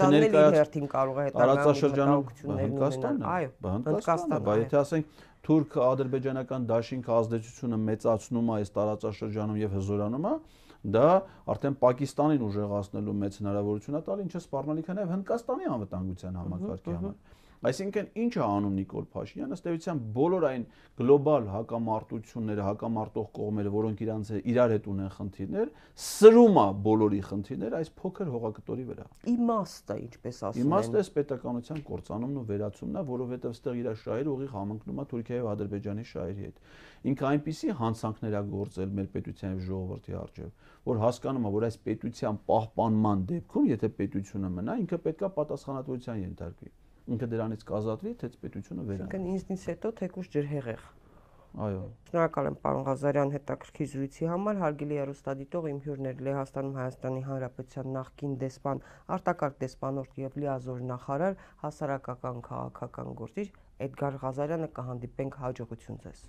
Հնդկաստանը, բայց եթե ասենք թուրք-ադրբեջանական դաշինք ազդեցությունը մեծացնում է այս տարածաշրջանում եւ հզորանում է, դա արդեն Պակիստանին ուժեղացնելու մեծ հնարավորություն է տալի, ինչը սպառնալիք է նաև Հնդկաստանի անվտանգության համակարգի համար։ Այսինքն ինչ է անում Նիկոլ Փաշինյանը, ըստ էության բոլոր այն գլոբալ հակամարտությունները, հակամարտող կողմերը, որոնք իրար հետ ունեն խնդիրներ, սրում է բոլորի խնդիրները այս փոքր հողակտորի վրա։ Իմաստը, ինչպես ասում են։ Իմաստը էս պետականության կործանումն ու վերացումն է, որովհետև այստեղ իր շահերը ուղիղ համընկնում է Թուրքիայի եւ Ադրբեջանի շահերի հետ։ Ինքը այնպիսի հանցանքներ է գործել մեր պետության եւ ժողովրդի առջեւ, որ հասկանում է, որ այս պետության պահպանման դեպքում, եթե պետությունը մնա, ինքը պետքա պատասխանատվության ենթարկվի։ Ինքը դրանից կազատվի, թե պետությունը վերանա։ Այսինքն ինձնից հետո թեկուզ ջրհեղեղ։ Այո։ Շնորհակալ եմ պարոն Ղազարյան հետաքրքիր զրույցի համար, հարգելի հեռուստադիտող, իմ հյուրն էր Լեհաստանում Հայաստանի Հանրապետության նախկին դեսպան, արտակարգ դեսպանորդ եւ լիազոր նախարար, հասարակական քաղաքական գործիչ Էդգար Ղազարյանը։ Կհանդիպենք, հաջողություն ձեզ։